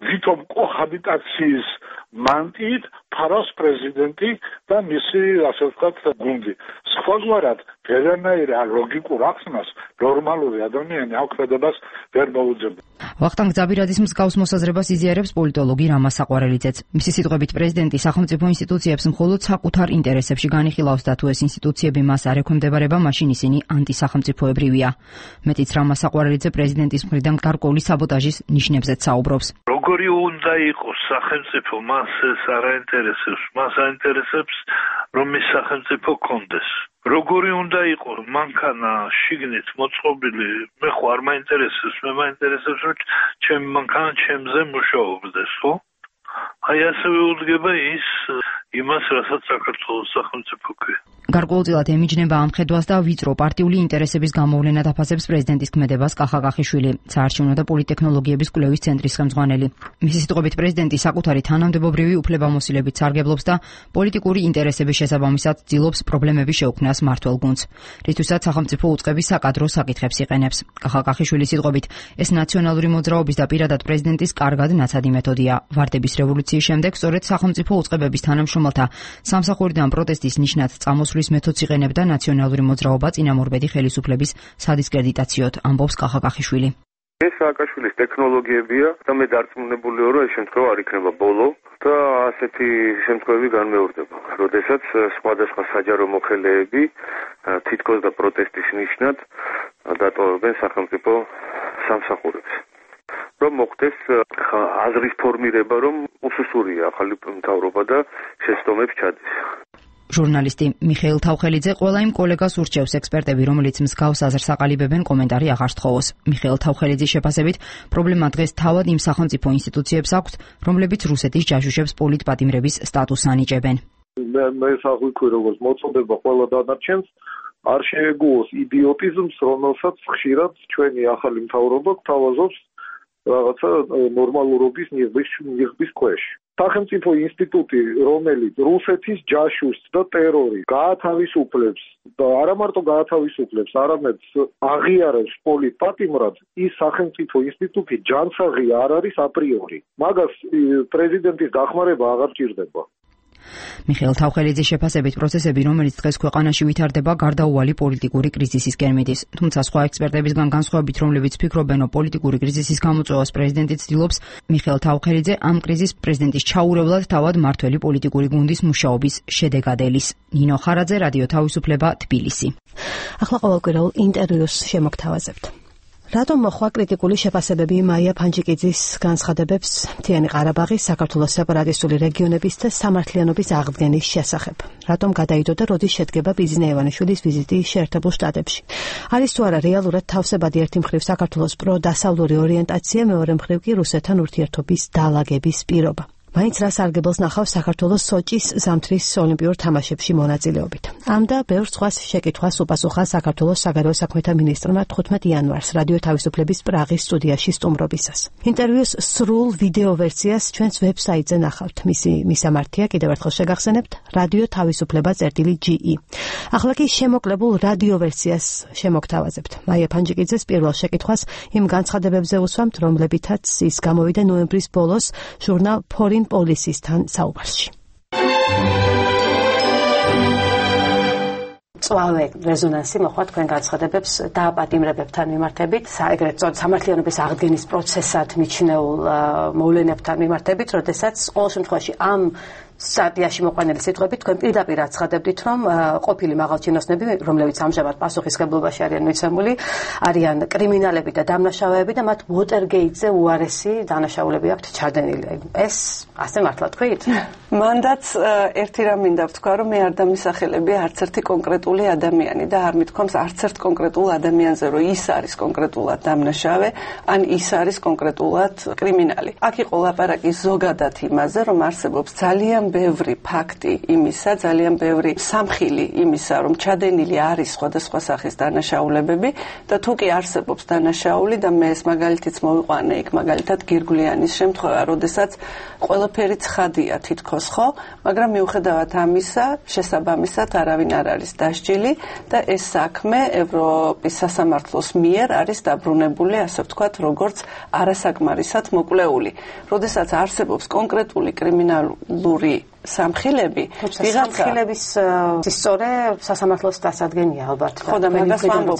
ვითომ კოჰაბიტაციის მანტიით ფარავს პრეზიდენტი და მისი ასე ვთქვათ გუნდი. სხვაგვარად ვერანაირ ლოგიკურ ახსნას ნორმალური ადამიანი ამ ქმედებას ვერ მოუძებდა. ვახტანგ ძაბირაძის მსგავს მოსაზრებას იზიარებს პოლიტოლოგი რამა საყვარელიძეც. მისი სიტყვებით პრეზიდენტი სახელმწიფო ინსტიტუციებს მხოლოდ საკუთარ ინტერესებში განიხილავს და თუ ეს ინსტიტუციები მას არ ექვემდებარება, მაშინ ისინი ანტისახელმწიფოებრივია. მეტიც რამა საყვარელიძე პრეზიდენტის მხრიდან გარკვეული საბოტაჟის ნიშნებზეც საუბრობს. როგორი უნდა იყოს სახელმწიფო, მას ეს არ აინტერესებს, მას აინტერესებს რომ ის სახელმწიფო კონდეს. როგორი უნდა იყოს მანქანა შიგნით მოწყობილი, მე ხო არ მაინტერესებს, მე მაინტერესებს რომ ჩემი მანქანა ჩემზე მუშაობდეს, ხო? აი ასევე უდგება ის იმას, რასაც საქართველოს სახელმწიფო ქვია. გარკვეულწილად ემიჯნება ამ ხედვას და ვიწრო პარტიული ინტერესების გამოვლენად აფასებს პრეზიდენტის ქმედებას კახა კახიშვილი, საარჩევნო და პოლიტექნოლოგიების კვლევის ცენტრის ხელმძღვანელი. მისი სიტყვებით პრეზიდენტი საკუთარი თანამდებობრივი უფლებამოსილებით სარგებლობს და პოლიტიკური ინტერესების შესაბამისად ცდილობს პრობლემების შეუქმნას მმართველ გუნდს, რითვისაც სახელმწიფო უწყების საკადრო საკითხებს იყენებს. კახა კახიშვილის სიტყვებით, ეს ნაციონალური მოძრაობის და პირადად პრეზიდენტის კარგად ნაცადი მეთოდია. ვარდების რევოლუციის შემდეგ სწორედ სახელმწიფო უწყებების თანამშრომელთა სამსახურიდან პროტესტის ნიშნად წამოსვლის მეთოდს იყენებდა ნაციონალური მოძრაობა წინამორბედი ხელისუფლების სადისკრედიტაციოდ, ამბობს კახა კახიშვილი. ეს სააკაშვილის ტექნოლოგიებია და მე დარწმუნებულია, რომ ეს შემთხვევა არ იქნება ბოლო და ასეთი შემთხვევები განმეორდება, როდესაც სხვადასხვა საჯარო მოხელეები თითქოს და პროტესტის ნიშნად დატოვებენ სახელმწიფო სამსახურებს. რომ მოხდეს აზრის ფორმირება, რომ უსუსურია ახალი მთავრობა და შეცდომებს ჩადის. ჟურნალისტი მიხეილ თავხელიძე ყველა იმ კოლეგას ურჩევს ექსპერტები, რომელიც მსგავს აზრს აყალიბებენ, კომენტარი აღარ სთხოვოს. მიხეილ თავხელიძის შეფასებით, პრობლემა დღეს თავად იმ სახელმწიფო ინსტიტუციებს აქვს, რომლებიც რუსეთის ჯაშუშებს პოლიტპატიმრების სტატუსს ანიჭებენ. მე საღვიქვი როგორც მოწოდება ყველა დანარჩენს არ შეეგუოს იდიოტიზმს, რომელსაც ხშირად ჩვენი ახალი მთავრობა გთავაზობს რაღაცა ნორმალურობის ნიღბის ქვეშ. სახელმწიფო ინსტიტუტი, რომელიც რუსეთის ჯაშუშს და ტერორი გაათავისუფლებს და არა მარტო გაათავისუფლებს, არამედ აღიარებს პოლიტპატიმრად, ის სახელმწიფო ინსტიტუტი ჯანსაღი არ არის აპრიორი. მაგას პრეზიდენტის დახმარება აღარ ჭირდება. მიხეილ თავხელიძის შეფასებით პროცესები, რომელიც დღეს ქვეყანაში ვითარდება, გარდაუვალი პოლიტიკური კრიზისისკენ მიდის. თუმცა სხვა ექსპერტებისგან განსხვავებით, რომლებიც ფიქრობენ, რომ პოლიტიკური კრიზისის გამოწვევას პრეზიდენტი ცდილობს, მიხეილ თავხელიძე ამ კრიზისს პრეზიდენტის ჩაურევლად თავად მმართველი პოლიტიკური გუნდის მუშაობის შედეგად ელის. ნინო ხარაძე, რადიო თავისუფლება, თბილისი. ახლა ყოველკვირეულ ინტერვიუს შემოგთავაზებთ. რატომ მოხვა კრიტიკული შეფასებები მაია ფანჯიკიძის განცხადებებს მთიანი ყარაბაღის, საქართველოს სეპარატისტული რეგიონების და სამართლიანობის აღდგენის შესახებ? რატომ გადაიდო და როდის შედგება ბიზნე ევანიშვილის ვიზიტი შეერთებულ შტატებში? არის თუ არა რეალურად თავსებადი ერთი მხრივ საქართველოს პროდასავლური ორიენტაცია, მეორე მხრივ კი რუსეთთან ურთიერთობის დალაგების პირობა? მაინც რა სარგებელს ნახავს საქართველოს სოჭის ზამთრის ოლიმპიურ თამაშებში მონაწილეობით. ამ და ბევრ სხვას შეკითხვას უპასუხა საქართველოს საგარეო საქმეთა მინისტრმა თხუთმეტი იანვარს რადიო თავისუფლების პრაღის სტუდიაში სტუმრობისას. ინტერვიუს სრულ ვიდეო ვერსიას ჩვენს ვებსაიტზე ნახავთ. მისი მისამართია კიდევ ერთხელ შეგახსენებთ რადიო თავისუფლება წერტილი ჯი ი. ახლა კი შემოკლებულ რადიო ვერსიას შემოგთავაზებთ. მაია ფანჯიკიძეს პირველ შეკითხვას იმ განცხადებებზე უსვამთ, რომლებითაც ის გამოვიდა ნოემბრის ბოლოს ჟურნალ Foreign Policy-სთან საუბარში. წვავე რეზონანსი მოხდა თქვენ განცხადებებს დააპატიმრებებთან მიმართებით, ეგრეთ წოდებული სამართლიანობის აღდგენის პროცესად მიჩნეულ მოვლენებთან მიმართებით, როდესაც ყოველ შემთხვევაში ამ სტატიაში მოყვანილი სიტყვებით თქვენ პირდაპირ აცხადებდით, რომ ყოფილი მაღალჩინოსნები, რომლებიც ამჟამად პასუხისმგებლობაში არიან მიცემული, არიან კრიმინალები და დამნაშავეები და მათ უოტერგეიტზე უარესი დანაშაულები აქვთ ჩადენილი. ეს ასე მართლა თქვით? მანდაც ერთი რამ მინდა ვთქვა, რომ მე არ დამისახელებია არც ერთი კონკრეტული ადამიანი და არ მithქვამს არც ერთ კონკრეტულ ადამიანზე, რომ ის არის კონკრეტულად დამნაშავე, ან ის არის კონკრეტულად კრიმინალი. აქ იყო ლაპარაკი ზოგადად იმაზე, რომ არსებობს ძალიან ბევრი ფაქტი იმისა, ძალიან ბევრი სამხილი იმისა, რომ ჩადენილი არის სხვადასხვა სახის დანაშაულებები და თუ კი არსებობს დანაშაული და მე ეს მაგალითიც მოვიყვანე იქ მაგალითად გირგვლიანის შემთხვევა, როდესაც ყველაფერი ცხადია თითქოს ხო, მაგრამ მიუხედავად ამისა, შესაბამისად არავინ არ არის დასჯილი და ეს საქმე ევროპის სასამართლოს მიერ არის დაბრუნებული, ასე ვთქვათ, როგორც არასაკმარისად მოკვლეული. როდესაც არსებობს კონკრეტული კრიმინალური სამხილები, ვიღაცა სამხილების სწორე სასამართლოს დასადგენია ალბათ. ხო და მაგას ვამბობ,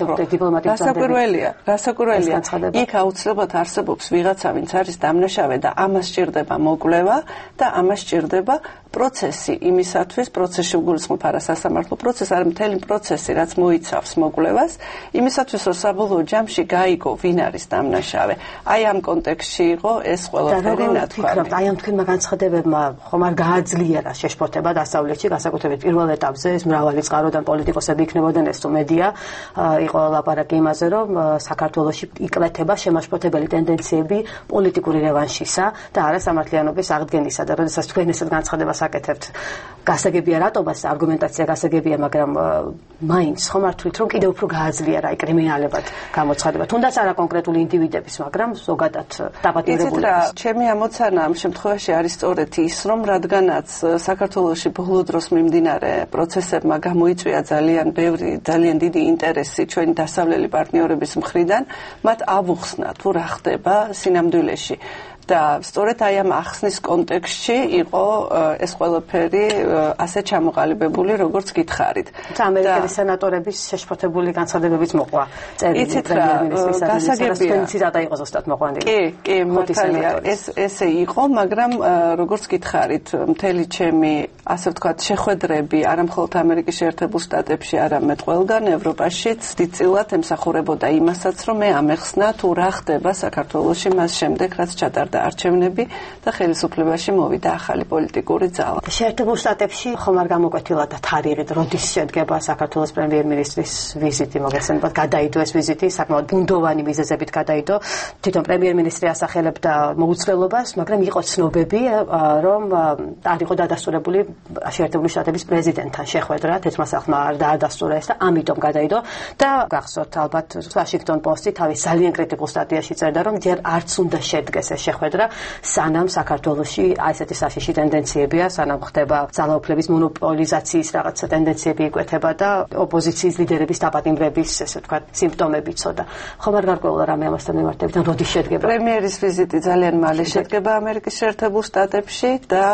რასაკვირველია, რასაკვირველია. იქ აუცილებლად არსებობს ვიღაცა, ვინც არის დამნაშავე და ამას სჭირდება მოკვლევა და ამას სჭირდება პროცესი იმისათვის, პროცესში გულისხმობ არა სასამართლო პროცესი, არამედ მთელი პროცესი, რაც მოიცავს მოკვლევას, იმისათვის, რომ საბოლოო ჯამში გაიგო, ვინ არის დამნაშავე. აი ამ კონტექსტში იყო ეს ყველაფერი ნათქვამი. აი ამ თქვენმა განცხადებებმა ხომ არ გააძლიერა შეშფოთება დასავლეთში, განსაკუთრებით პირველ ეტაპზე, ეს მრავალი წყაროდან პოლიტიკოსები იქნებოდნენ, ეს თუ მედია, იყო ლაპარაკი იმაზე, რომ საქართველოში იკლეთება შემაშფოთებელი ტენდენციები პოლიტიკური რევანშისა და არა სამართლიანობის აღდგენისა და როდესაც თქვენ ესეთ განცხადებას აკეთებთ, გასაგებია რატომაც არგუმენტაცია გასაგებია, მაგრამ მაინც ხომ არ თვლით, რომ კიდევ უფრო გააძლიერა აი კრიმინალებად გამოცხადება, თუნდაც არა კონკრეტული ინდივიდების, მაგრამ ზოგადად დაპატიმრებულების. ჩემი ამოცანა ამ შემთხვევაში არის სწორედ ის, რომ რადგანაც საქართველოში ბოლო დროს მიმდინარე პროცესებმა გამოიწვია ძალიან ბევრი, ძალიან დიდი ინტერესი ჩვენი დასავლელი პარტნიორების მხრიდან, მათ ავუხსნა თუ რა ხდება სინამდვილეში. და სწორედ აი ამ ახსნის კონტექსტში იყო ეს ყველაფერი ასე ჩამოყალიბებული, როგორც გითხარით. ამერიკელი სენატორების შეშფოთებული განცხადებებიც მოყვა წერილი პრემიერ-მინისტრის ადმინისტრაციის და იყო ზუსტად მოყვანილი. კი, კი, მართალია, ეს ესე იყო, მაგრამ როგორც გითხარით, მთელი ჩემი, ასე ვთქვათ, შეხვედრები არა მხოლოდ ამერიკის შეერთებულ შტატებში, არამედ ყველგან ევროპაშიც დიდწილად ემსახურებოდა იმასაც, რომ მე ამეხსნა თუ რა ხდება საქართველოში მას შემდეგ, რაც ჩატარდა არჩევნები და ხელისუფლებაში მოვიდა ახალი პოლიტიკური ძალა. შეერთებულ შტატებში ხომ არ გამოკვეთილა და თარიღით, როდის შედგება საქართველოს პრემიერ-მინისტრის ვიზიტი, მოგესალმებით, გადაიდო ეს ვიზიტი, საკმაოდ ბუნდოვანი მიზეზებით გადაიდო. თვითონ პრემიერ-მინისტრი ასახელებდა მოუცვლელობას, მაგრამ იყო ცნობები, რომ არ იყო დადასტურებული შეერთებული შტატების პრეზიდენტთან შეხვედრა, თეთრმასახლმა არ დაადასტურა ეს და ამიტომ გადაიდო და გახსოვთ ალბათ Washington Post-ი თავის ძალიან კრიტიკულ სტატიაში წერდა, რომ ჯერ არც უნდა შედგეს ეს შეხვედრა, სანამ საქართველოში აი ესეთი საშიში ტენდენციებია, სანამ ხდება ძალაუფლების მონოპოლიზაციის რაღაცა ტენდენციები იკვეთება და ოპოზიციის ლიდერების დაპატიმრების, ესე ვთქვათ, სიმპტომები ცოდა. ხომ არ გარკვეულა რამე ამასთან მიმართებით, ან როდის შედგება? პრემიერის ვიზიტი ძალიან მალე შედგება ამერიკის შეერთებულ შტატებში და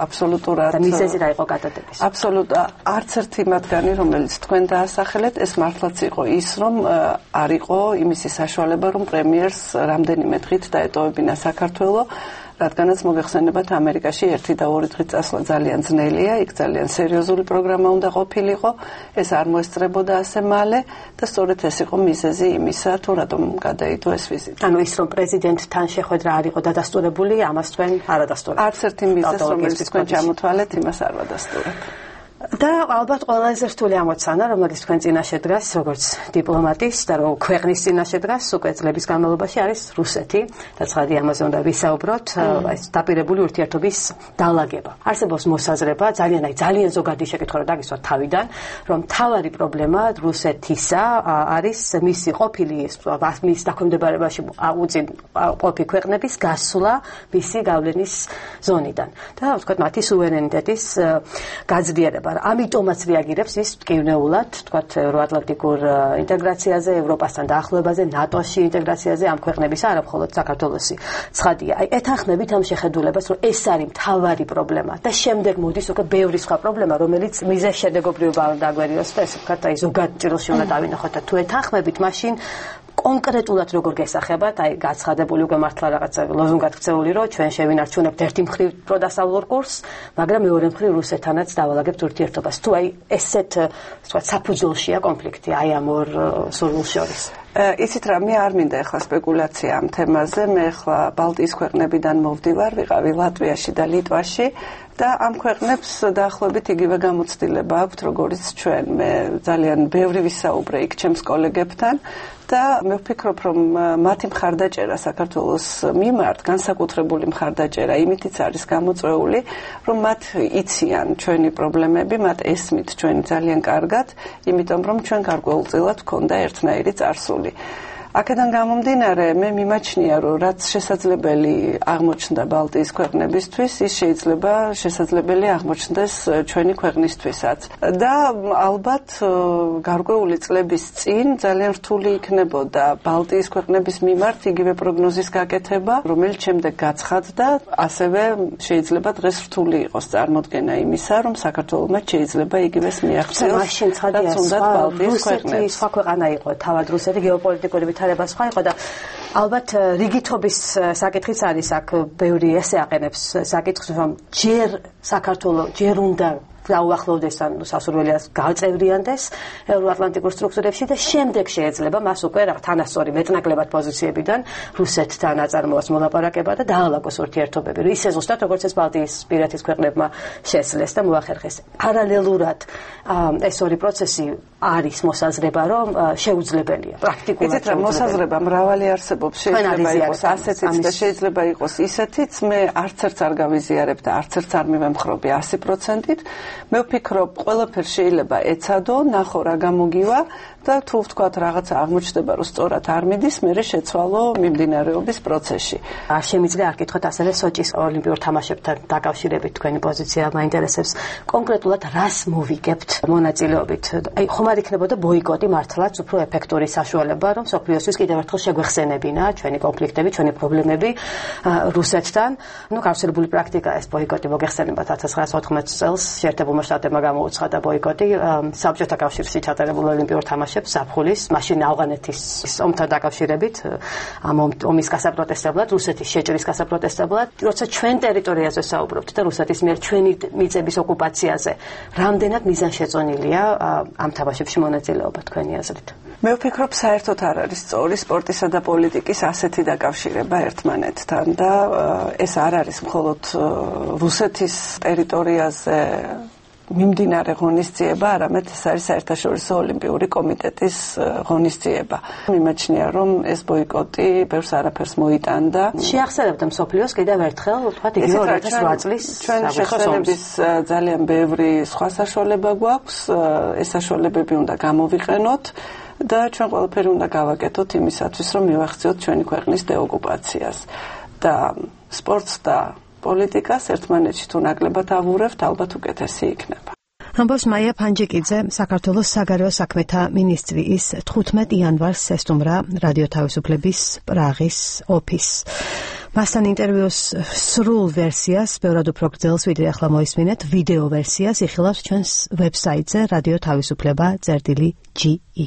აბსოლუტურად მიზეზი რა იყო გადადების? აბსოლუტურად არც ერთი მათგანი, რომელიც თქვენ დაასახელეთ, ეს მართლაც იყო ის, რომ არ იყო იმისი საშუალება, რომ პრემიერს რამდენიმე დღით დაეტოვებინა საქართველო, რადგანაც მოგეხსენებათ ამერიკაში ერთი და ორი დღით წასვლა ძალიან ძნელია, იქ ძალიან სერიოზული პროგრამა უნდა ყოფილიყო, ეს არ მოესწრებოდა ასე მალე და სწორედ ეს იყო მიზეზი იმისა, თუ რატომ გადაიდო ეს ვიზიტი. ანუ ის რომ პრეზიდენტთან შეხვედრა არ იყო დადასტურებული, ამას თქვენ არ ადასტურებთ. არც ერთი მიზეზი, რომელიც თქვენ ჩამოთვალეთ, იმას არ ვადასტურებ. და ალბათ ყველაზე რთული ამოცანა, რომელიც თქვენ წინაშე დგას, როგორც დიპლომატის და რო ქვეყნის წინაშე დგას, უკვე წლების განმავლობაში არის რუსეთი და ცხადი ამაზე უნდა ვისაუბროთ, ეს დაპირებული ურთიერთობის დალაგება. არსებობს მოსაზრება, ძალიან აი ძალიან ზოგადი შეკითხვა რა დაგისვა თავიდან, რომ მთავარი პრობლემა რუსეთისა არის მისი ყოფილი მის დაქვემდებარებაში უწინ ყოფი ქვეყნების გასვლა მისი გავლენის ზონიდან და ვთქვათ მათი სუვერენიტეტის გაძლიერება. ამიტომაც რეაგირებს ის მტკივნეულად, ვთქვათ, ევროატლანტიკურ ინტეგრაციაზე, ევროპასთან დაახლოებაზე, ნატოში ინტეგრაციაზე ამ ქვეყნების, არა მხოლოდ საქართველოსი. ცხადია, აი ეთანხმებით ამ შეხედულებას, რომ ეს არის მთავარი პრობლემა და შემდეგ მოდის უკვე ბევრი სხვა პრობლემა, რომელიც მიზეზშედეგობრივობა უნდა დაგვერიოს და ესე ვთქვათ, აი ზოგად ჭრილში უნდა დავინახოთ და თუ ეთანხმებით, მაშინ კონკრეტულად როგორ გესახებათ, აი გაცხადებული უკვე მართლა რაღაცა ლოზუნგად ქცეული, რომ ჩვენ შევინარჩუნებთ ერთი მხრივ პროდასავლურ კურსს, მაგრამ მეორე მხრივ რუსეთთანაც დავალაგებთ ურთიერთობას. თუ აი ესეთ ვთქვათ საფუძველშია კონფლიქტი აი ამ ორ სურვილს შორის. იცით რა, მე არ მინდა ახლა სპეკულაცია ამ თემაზე, მე ახლა ბალტიის ქვეყნებიდან მოვდივარ, ვიყავი ლატვიაში და ლიტვაში და ამ ქვეყნებს დაახლოებით იგივე გამოცდილება აქვთ, როგორც ჩვენ. მე ძალიან ბევრი ვისაუბრე იქ ჩემს კოლეგებთან და მე ვფიქრობ, რომ მათი მხარდაჭერა საქართველოს მიმართ, განსაკუთრებული მხარდაჭერა იმითიც არის გამოწვეული, რომ მათ იციან ჩვენი პრობლემები, მათ ესმით ჩვენი ძალიან კარგად, იმიტომ რომ ჩვენ გარკვეულწილად გვქონდა ერთნაირი წარსული. აქედან გამომდინარე, მე მიმაჩნია, რომ რაც შესაძლებელი აღმოჩნდა ბალტიის ქვეყნებისთვის, ის შეიძლება შესაძლებელი აღმოჩნდეს ჩვენი ქვეყნისთვისაც. და ალბათ გარკვეული წლების წინ ძალიან რთული იქნებოდა ბალტიის ქვეყნების მიმართ იგივე პროგნოზის გაკეთება, რომელიც შემდეგ გაცხადდა, ასევე შეიძლება დღეს რთული იყოს წარმოდგენა იმისა, რომ საქართველოსმა შეიძლება იგივეს მიაღწიოს. მაშინ ცხადია, რუსეთი სხვა ქვეყანა იყო, თავად რუსეთი გეოპოლიტიკური ვითარება სხვა იყო და ალბათ რიგითობის საკითხიც არის აქ, ბევრი ესე აყენებს საკითხს, რომ ჯერ საქართველოს ჯერ უნდა დაუახლოვდეს ან სასურველიას გაწევრიანდეს ევროატლანტიკურ სტრუქტურებში და შემდეგ შეიძლება მას უკვე რა თანასწორი მეტნაკლებად პოზიციებიდან რუსეთთან აწარმოოს მოლაპარაკება და დაალაგოს ურთიერთობები. ისე ზუსტად როგორც ეს ბალტიის პირეთის ქვეყნებმა შესძლეს და მოახერხეს. პარალელურად ეს ორი პროცესი არის მოსაზრება, რომ შეუძლებელია პრაქტიკულად. იცით რა, მოსაზრება მრავალი არსებობს, შეიძლება იყოს ასეთიც და შეიძლება იყოს ისეთიც. მე არც ერთს არ გავიზიარებ და არც ერთს არ მივემხრობი ასი პროცენტით. მე ვფიქრობ, ყველაფერს შეიძლება ეცადო, ნახო რა გამოგივა და თუ ვთქვათ რაღაცა აღმოჩნდება, რომ სწორად არ მიდის, მერე შეცვალო მიმდინარეობის პროცესში. არ შემიძლია არ კითხოთ ასევე სოჭის ოლიმპიურ თამაშებთან დაკავშირებით თქვენი პოზიცია მაინტერესებს. კონკრეტულად რას მოვიგებთ მონაწილეობით? აი ხომ არ იქნებოდა ბოიკოტი მართლაც უფრო ეფექტური საშუალება, რომ სოფლიოსთვის კიდევ ერთხელ შეგვეხსენებინა ჩვენი კონფლიქტები, ჩვენი პრობლემები რუსეთთან. ნუ გავრცელებული პრაქტიკაა ეს ბოიკოტი მოგეხსენება თერთმეტ ცხრაას ოთხმოცი წელს შეერთებულმა შტატებმა გამოუცხადა ბოიკოტი საბჭოთა კავშირში ჩატარებულ ოლიმპიურ თამაშებს ზაფხულის, მაშინ ავღანეთის ომთან დაკავშირებით, ამ ომის გასაპროტესტებლად, რუსეთის შეჭრის გასაპროტესტებლად, როცა ჩვენ ტერიტორიაზე საუბრობთ და რუსეთის მიერ ჩვენი მიწების ოკუპაციაზე, რამდენად მიზანშეწონილია ამ თამაშებში მონაწილეობა თქვენი აზრით? მე ვფიქრობ, საერთოდ არ არის სწორი სპორტისა და პოლიტიკის ასეთი დაკავშირება ერთმანეთთან და ეს არ არის მხოლოდ რუსეთის ტერიტორიაზე მიმდინარე ღონისძიება, არამედ ეს არის საერთაშორისო ოლიმპიური კომიტეტის ღონისძიება. მიმაჩნია, რომ ეს ბოიკოტი ბევრს არაფერს მოიტანდა. შეახსენებდა მსოფლიოს კიდევ ერთხელ, ვთქვათ, იგივე ორი ათას რვა წლის ჩვენ შეხსენების ძალიან ბევრი სხვა საშუალება გვაქვს, ეს საშუალებები უნდა გამოვიყენოთ და ჩვენ ყველაფერი უნდა გავაკეთოთ იმისათვის, რომ მივახციოთ ჩვენი ქვეყნის დეოკუპაციას. და სპორტს და პოლიტიკას ერთმანეთში თუ ნაკლებად ავურებთ, ალბათ უკეთესი იქნება. ამბობს მაია ფანჯიკიძე, საქართველოს საგარეო საქმეთა მინისტრი. ის თხუთმეტ იანვარს ესტუმრა რადიო თავისუფლების პრაღის ოფისს. მასთან ინტერვიუს სრულ ვერსიას, ბევრად უფრო გრძელს, ვიდრე ახლა მოისმინეთ, ვიდეო ვერსიას იხილავს ჩვენს ვებსაიტზე რადიო თავისუფლება წერტილი ჯი ი.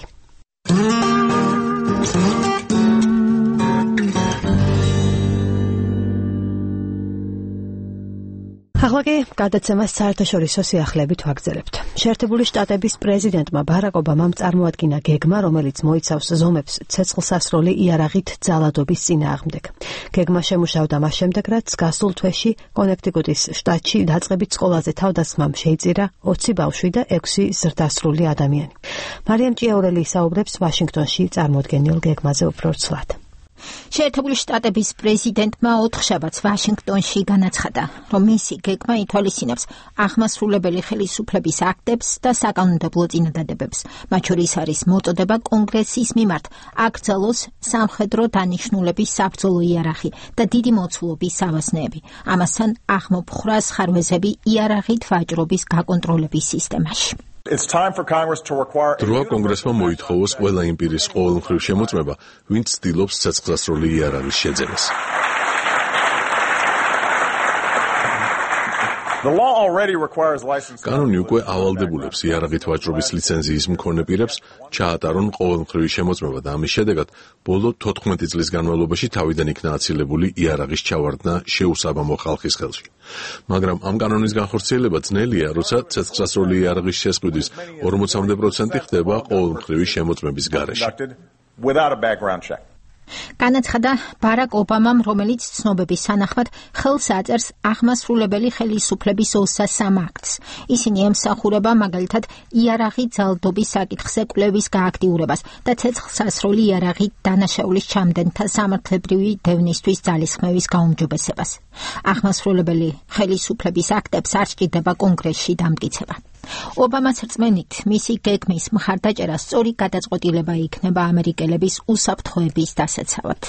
ახლა კი გადაცემას საერთაშორისო სიახლეებით ვაგრძელებთ. შეერთებული შტატების პრეზიდენტმა ბარაკ ობამამ წარმოადგინა გეგმა, რომელიც მოიცავს ზომებს ცეცხლსასროლი იარაღით ძალადობის წინააღმდეგ. გეგმა შემუშავდა მას შემდეგ, რაც გასულ თვეში კონექტიკუტის შტატში დაწყებით სკოლაზე თავდასხმამ შეიწირა ოცი ბავშვი და ექვსი ზრდასრული ადამიანი. მარიამ ჭიაურელი ისაუბრებს ვაშინგტონში წარმოდგენილ გეგმაზე უფრო ცვლად. შეერთებული შტატების პრეზიდენტმა ოთხშაბათს ვაშინგტონში განაცხადა, რომ მისი გეგმა ითვალისწინებს აღმასრულებელი ხელისუფლების აქტებს და საკანონმდებლო წინადადებებს. მათ შორის არის მოწოდება კონგრესის მიმართ აკრძალოს სამხედრო დანიშნულების საბრძოლო იარაღი და დიდი მოცულობის ავაზნეები. ამასთან აღმოფხრას ხარვეზები იარაღით ვაჭრობის გაკონტროლების სისტემაში. დროა კონგრესმა მოითხოვოს ყველა იმ პირის ყოველმხრივ შემოწმება, ვინც ცდილობს ცეცხლსასროლი იარაღის შეძენას. კანონი უკვე ავალდებულებს იარაღით ვაჭრობის ლიცენზიის მქონე პირებს ჩაატარონ ყოველმხრივი შემოწმება და ამის შედეგად ბოლო თოთხმეტი წლის განმავლობაში თავიდან იქნა აცილებული იარაღის ჩავარდნა შეუსაბამო ხალხის ხელში. მაგრამ ამ კანონის განხორციელება ძნელია, როცა ცეცხლსასროლი იარაღის შესყიდვის ორმოცამდე პროცენტი ხდება ყოველმხრივი შემოწმების გარეშე. განაცხადა ბარაკ ობამამ, რომელიც ცნობების თანახმად ხელს აწერს აღმასრულებელი ხელისუფლების ოცდასამ აქტს. ისინი ემსახურება მაგალითად იარაღით ძალადობის საკითხზე კვლევის გააქტიურებას და ცეცხლსასროლი იარაღით დანაშაულის ჩამდენთა სამართლებრივი დევნისთვის ძალისხმევის გაუმჯობესებას. აღმასრულებელი ხელისუფლების აქტებს არ სჭირდება კონგრესში დამტკიცება. ობამას რწმენით, მისი გეგმის მხარდაჭერა სწორი გადაწყვეტილება იქნება ამერიკელების უსაფრთხოების დასაცავად.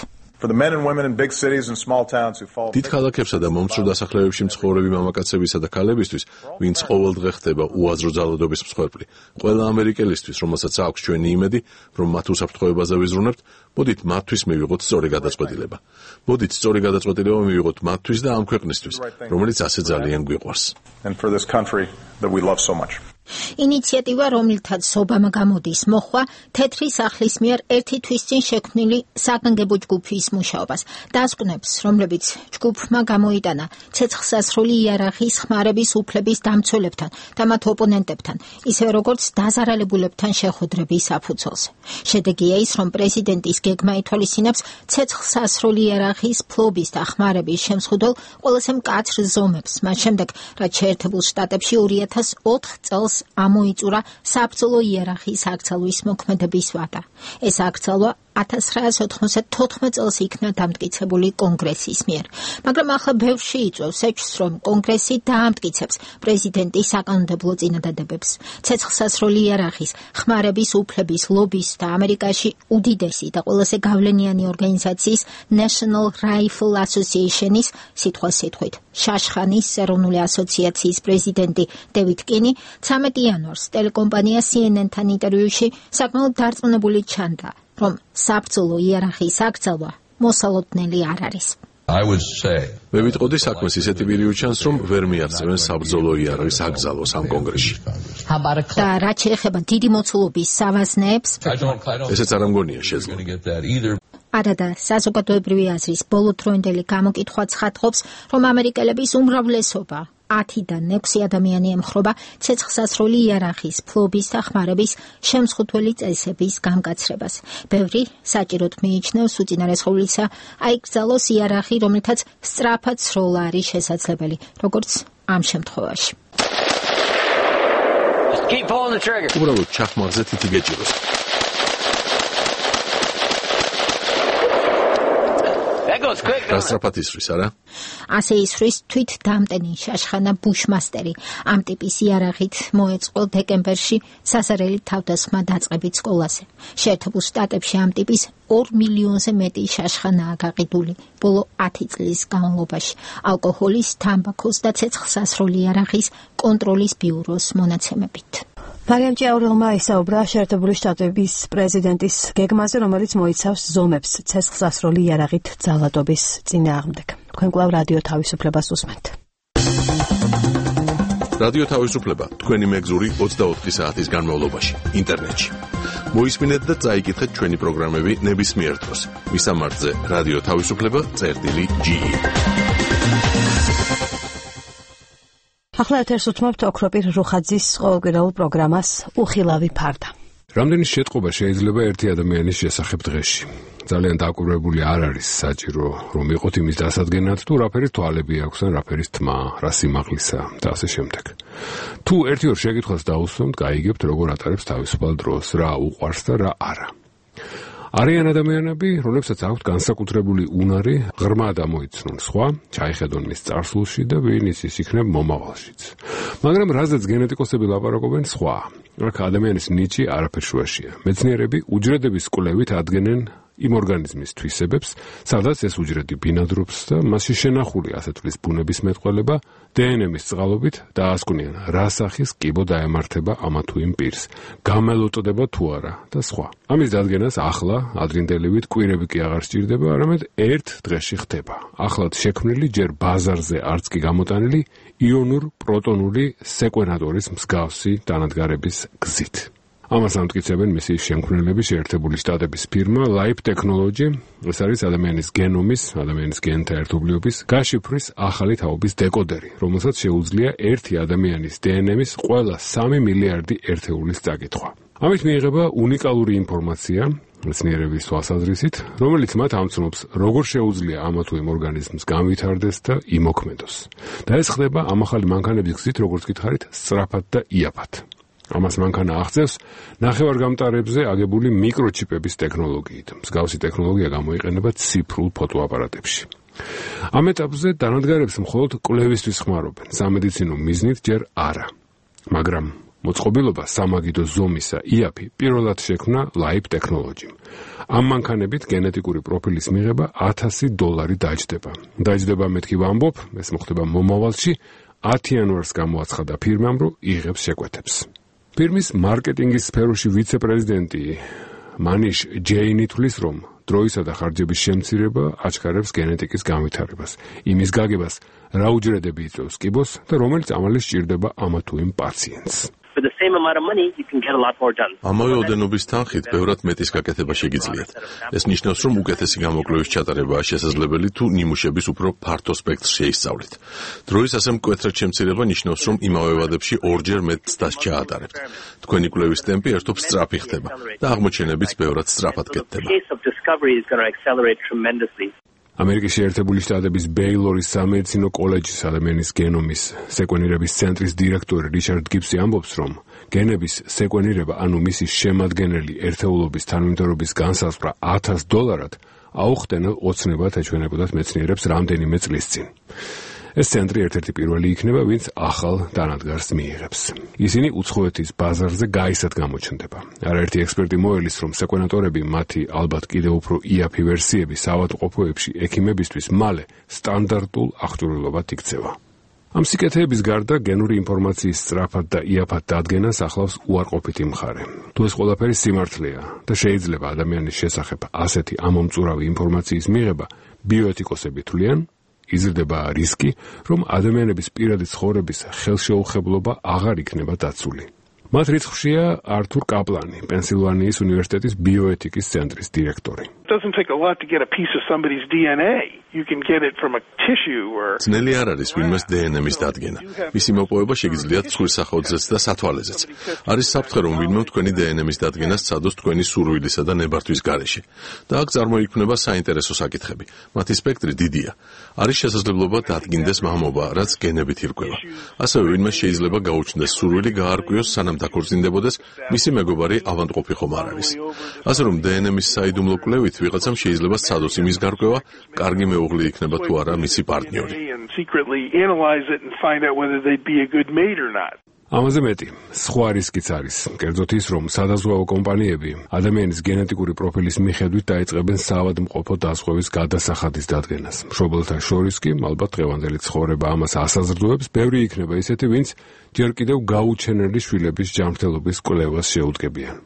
დიდ ქალაქებსა და მომცრო დასახლებებში მცხოვრები მამაკაცებისა და ქალებისთვის, ვინც ყოველდღე ხდება უაზრო ძალადობის მსხვერპლი, ყველა ამერიკელისთვის, რომელსაც აქვს ჩვენი იმედი, რომ მათ უსაფრთხოებაზე ვიზრუნებთ, მოდით მათთვის მივიღოთ სწორი გადაწყვეტილება. მოდით სწორი გადაწყვეტილება მივიღოთ მათთვის და ამ ქვეყნისთვის, რომელიც ასე ძალიან გვიყვარს. ინიციატივა, რომლითაც ობამა გამოდის, მოხვა თეთრი სახლის მიერ ერთი თვის წინ შექმნილი საგანგებო ჯგუფის მუშაობას. დასკვნებს, რომლებიც ჯგუფმა გამოიტანა ცეცხლსასროლი იარაღის ხმარების უფლების დამცველებთან და მათ ოპონენტებთან, ისევე როგორც დაზარალებულებთან შეხვედრების საფუძველზე. შედეგია ის, რომ პრეზიდენტის გეგმა ითვალისწინებს ცეცხლსასროლი იარაღის ფლობის და ხმარების შემსხუდელ ყველაზე მკაცრ ზომებს, მათ შემდეგ, რაც შეერთებულ შტატებში ორი ათას ოთხ წელს ამოიწურა საბრძოლო იარაღის აკრძალვის მოქმედების ვადა. ეს აკრძალვა ათას ცხრაას ოთხმოცდაათი წელს იქნა დამტკიცებული კონგრესის მიერ. მაგრამ ახლა ბევრში იწვევს ეჭვს, რომ კონგრესი დაამტკიცებს პრეზიდენტის საკანონმდებლო წინადადებებს. ცეცხლსასროლი იარაღის ხმარების უფლების ლობის და ამერიკაში უდიდესი და ყველაზე გავლენიანი ორგანიზაციის National Rifle Association-ის სიტყვასიტყვით შაშხანის ეროვნული ასოციაციის პრეზიდენტი დევიდ კინი ცამეტი იანვარს ტელეკომპანია C N N-თან ინტერვიუში საკმაოდ დარწმუნებული ჩანდა, რომ საბრძოლო იარაღის აკრძალვა მოსალოდნელი არ არის. მე ვიტყოდი საქმეს ისეთი პირი უჩანს, რომ ვერ მიაღწევენ საბრძოლო იარაღის აკრძალვას ამ კონგრესში. და რაც შეეხება დიდი მოცულობის სავაზნეებს, ესეც არ ამგონია შეძლო. არა და საზოგადოებრივი აზრის ბოლოდროინდელი გამოკითხვა ცხადყოფს, რომ ამერიკელების უმრავლესობა ათიდან ექვსი ადამიანი ემხრობა ცეცხლსასროლი იარაღის ფლობის და ხმარების შემსხუთველი წესების გამკაცრებას. ბევრი საჭიროდ მიიჩნევს უწინარესხოვლისა აიკრძალოს იარაღი, რომლითაც სწრაფად სროლა არის შესაძლებელი, როგორც ამ შემთხვევაში. უბრალოდ ჩახმარზე თითი გეჭიროს. გასწრაფად ისვრის, არა? ასე ისვრის თვით დამტენი შაშხანა ბუშმასტერი. ამ ტიპის იარაღით მოეწყო დეკემბერში სასარელი თავდასხმა დაწყებით სკოლაზე. შეერთებულ შტატებში ამ ტიპის ორ მილიონზე მეტი შაშხანაა გაყიდული ბოლო ათი წლის განმავლობაში ალკოჰოლის, თამბაქოს და ცეცხლსასროლი იარაღის კონტროლის ბიუროს მონაცემებით. მარიამ ჭიაურელმა ისაუბრა შეერთებული შტატების პრეზიდენტის გეგმაზე, რომელიც მოიცავს ზომებს ცეცხლსასროლი იარაღით ძალადობის წინააღმდეგ. თქვენ კვლავ რადიო თავისუფლებას უსმენთ. რადიო თავისუფლება თქვენი მეგზური ოცდაოთხი საათის განმავლობაში ინტერნეტში. მოისმინეთ და წაიკითხეთ ჩვენი პროგრამები ნებისმიერ დროს. მისამართზე რადიო თავისუფლება წერტილი ჯი. ახლა ეთერს უთმობთ ოქროპირ რუხაძის ყოველკვირეულ პროგრამას უხილავი ფარდა. რამდენი შეტყობა შეიძლება ერთი ადამიანის შესახებ დღეში? ძალიან დაკვირვებული არ არის საჭირო რომ იყოთ იმის დასადგენად თუ რაფერი თვალები აქვს ან რაფერის თმა, რა სიმაღლისა და ასე შემდეგ. თუ ერთი ორ შეკითხვას დაუსვამთ, გაიგებთ როგორ ატარებს თავისუფალ დროს, რა უყვარს და რა არა. არიან ადამიანები, რომლებსაც აქვთ განსაკუთრებული უნარი, ღრმა დამოიცნონ სხვა, ჩაიხედონ მის წარსულში და ვინ იცის იქნებ მომავალშიც. მაგრამ რაზეც გენეტიკოსები ლაპარაკობენ სხვა. აქ ადამიანის ნიჭი არაფერ შუაშია. მეცნიერები უჯრედების კვლევით ადგენენ იმ ორგანიზმის თვისებებს, სადაც ეს უჯრედი ბინადრობს და მასში შენახული ასე თვლის ბუნების მეტყველება დე ენ ემის წყალობით დაასკვნიან, რა სახის კიბო დაემართება ამა თუ იმ პირს, გამელოტდება თუ არა და სხვა. ამის დადგენას ახლა ადრინდელივით კვირები კი აღარ სჭირდება, არამედ ერთ დღეში ხდება. ახლად შექმნილი ჯერ ბაზარზე არც კი გამოტანილი იონურ პროტონული სეკვენატორის მსგავსი დანადგარების გზით. ამას ამტკიცებენ მისი შემქმნელები შეერთებული შტატების ფირმა Life Technology. ეს არის ადამიანის გენომის, ადამიანის გენთა ერთობლიობის გაშიფვრის ახალი თაობის დეკოდერი, რომელსაც შეუძლია ერთი ადამიანის დე ენ ემის ყველა სამი მილიარდი ერთეულის წაკითხვა. ამით მიიღება უნიკალური ინფორმაცია მეცნიერების თვალსაზრისით, რომელიც მათ ამცნობს, როგორ შეუძლია ამა თუ იმ ორგანიზმს განვითარდეს და იმოქმედოს. და ეს ხდება ამ ახალი მანქანების გზით, როგორც გითხარით, სწრაფად და იაფად. ამას მანქანა აღწევს ნახევარგამტარებზე აგებული მიკროჩიპების ტექნოლოგიით. მსგავსი ტექნოლოგია გამოიყენება ციფრულ ფოტოაპარატებში. ამ ეტაპზე დანადგარებს მხოლოდ კვლევისთვის ხმარობენ, სამედიცინო მიზნით ჯერ არა. მაგრამ მოწყობილობა სამაგიდო ზომისა იაფი პირველად შექმნა Life Technology. ამ მანქანებით გენეტიკური პროფილის მიღება ათასი დოლარი დაჯდება. დაჯდება მეთქი ვამბობ, ეს მოხდება მომავალში, ათი იანვარს გამოაცხადა ფირმამ, რომ იღებს შეკვეთებს. ფირმის მარკეტინგის სფეროში ვიცე-პრეზიდენტი მანიშ ჯეინი თვლის, რომ დროისა და ხარჯების შემცირება აჩქარებს გენეტიკის განვითარებას, იმის გაგებას, რა უჯრედები იწვევს კიბოს და რომელიც ამალი სჭირდება ამა თუ იმ პაციენტს. ამავე ოდენობის თანხით ბევრად მეტის გაკეთება შეგიძლიათ. ეს ნიშნავს, რომ უკეთესი გამოკვლევის ჩატარებაა შესაძლებელი თუ ნიმუშების უფრო ფართო სპექტრს შეისწავლით. დროის ასე მკვეთრად შემცირება ნიშნავს, რომ იმავე ვადებში ორჯერ მეტ ცდას ჩაატარებთ. თქვენი კვლევის ტემპი ერთობ სწრაფი ხდება და აღმოჩენებიც ბევრად სწრაფად კეთდება. ამერიკის შეერთებული შტატების ბეილორის სამედიცინო კოლეჯის ადამიანის გენომის სეკვენირების ცენტრის დირექტორი რიჩარდ გიბსი ამბობს, რომ გენების სეკვენირება, ანუ მისი შემადგენელი ერთეულობის თანმიმდევრობის განსაზღვრა ათას დოლარად აუხტენელ ოცნებად ეჩვენებოდათ მეცნიერებს რამდენიმე წლის წინ. ეს ცენტრი ერთ-ერთი პირველი იქნება, ვინც ახალ დანადგარს მიიღებს. ისინი უცხოეთის ბაზარზე გაისად გამოჩნდება. არაერთი ექსპერტი მოელის, რომ სეკვენატორები მათი ალბათ კიდევ უფრო იაფი ვერსიები საავადმყოფოებში ექიმებისთვის მალე სტანდარტულ აღჭურვილობად იქცევა. ამ სიკეთეების გარდა გენური ინფორმაციის სწრაფად და იაფად დადგენას ახლავს უარყოფითი მხარე. თუ ეს ყველაფერი სიმართლეა და შეიძლება ადამიანის შესახებ ასეთი ამომწურავი ინფორმაციის მიღება, ბიოეთიკოსები თვლიან, იზრდება რისკი, რომ ადამიანების პირადი ცხოვრების ხელშეუხებლობა აღარ იქნება დაცული. მათ რიცხვშია ართურ კაპლანი, პენსილვანიის უნივერსიტეტის ბიოეთიკის ცენტრის დირექტორი. ძნელი არ არის ვინმეს დე ენ ემის დადგენა. მისი მოპოვება შეგიძლიათ ცხვრის სახეობზეც და სათვალეზეც. არის საფრთხე, რომ ვინმე თქვენი დე ენ ემის დადგენას სცადოს თქვენი სურვილისა და ნებართვის გარეშე. და აქ წარმოიქმნება საინტერესო საკითხები. მათი სპექტრი დიდია. არის შესაძლებლობა დადგინდეს მამობა, რაც გენებით ირკვევა. ასევე ვინმე შეიძლება გაუჩნდეს სურვილი გაარკვიოს, სანამ დაქორწინდებოდეს, მისი მეგობარი ავადმყოფი ხომ არ არის. ასე რომ დე ენ ემის საიდუმლო კვლევით ვიღაცამ შეიძლება სცადოს იმის გარკვევა, კარგი მეუღლე იქნება თუ არა მისი პარტნიორი. ამაზე მეტი, სხვა რისკიც არის, კერძოდ ის, რომ სადაზღვევო კომპანიები ადამიანის გენეტიკური პროფილის მიხედვით დაიწყებენ საავადმყოფო დაზღვევის გადასახადის დადგენას. მშობელთა შორის კი, ალბათ დღევანდელი ცხოვრება ამას ასაზრდოებს, ბევრი იქნება ისეთი, ვინც ჯერ კიდევ გაუჩენელი შვილების ჯანმრთელობის კვლევას შეუდგებიან.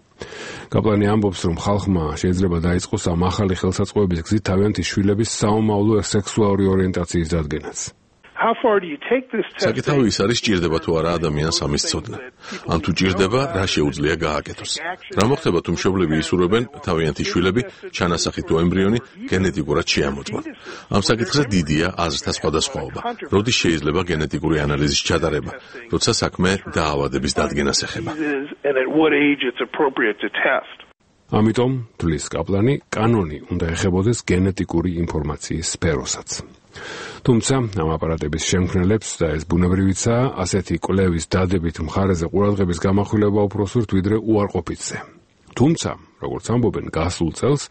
კაპლანი ამბობს, რომ ხალხმა შეიძლება დაიწყოს ამ ახალი ხელსაწყოების გზით თავიანთი შვილების საომავლო სექსუალური ორიენტაციის დადგენაც. საკითხავი ის არის, ჭირდება თუ არა ადამიანს ამის ცოდნა. ან თუ ჭირდება, რა შეუძლია გააკეთოს. რა მოხდება თუ მშობლები ისურვებენ თავიანთი შვილები ჩანასახით თუ ემბრიონი გენეტიკურად შეამოწმონ. ამ საკითხზე დიდია აზრთა სხვადასხვაობა. როდის შეიძლება გენეტიკური ანალიზის ჩატარება, როცა საქმე დაავადების დადგენას ეხება. ამიტომ, თulis კაპლანი, კანონი უნდა ეხებოდეს გენეტიკური ინფორმაციის სფეროსაც. თუმცა, ამ აპარატების შემქმნელებს და ეს ბუნებრივიცაა, ასეთი კვლევის დადებით მხარეზე ყურადღების გამახვილება უფრო სურთ ვიდრე უარყოფითზე. თუმცა, როგორც ამბობენ, გასულ წელს,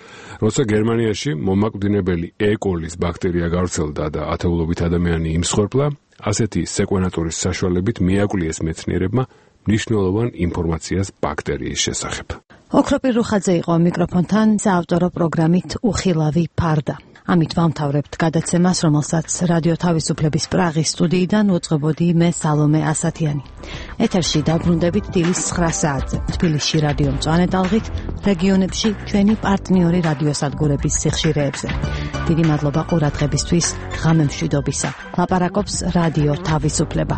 როცა გერმანიაში მომაკვდინებელი E. coli-ს ბაქტერია გავრცელდა და ათეულობით ადამიანი იმსხვერპლა, ასეთი სეკვენატორის საშუალებით მიაკვლიეს მეცნიერებმა მნიშვნელოვან ინფორმაციას ბაქტერიის შესახებ. ოქროპირ რუხაძე იყო მიკროფონთან საავტორო პროგრამით უხილავი ფარდა. ამით ვამთავრებთ გადაცემას, რომელსაც რადიო თავისუფლების პრაღის სტუდიიდან უძღვებოდი მე სალომე ასათიანი. ეთერში დაბრუნდებით დილის ცხრა საათზე. თბილისში რადიო მწვანე ტალღით, რეგიონებში ჩვენი პარტნიორი რადიოსადგურების სიხშირეებზე. დიდი მადლობა ყურადღებისთვის, ღამე მშვიდობისა. ლაპარაკობს რადიო თავისუფლება.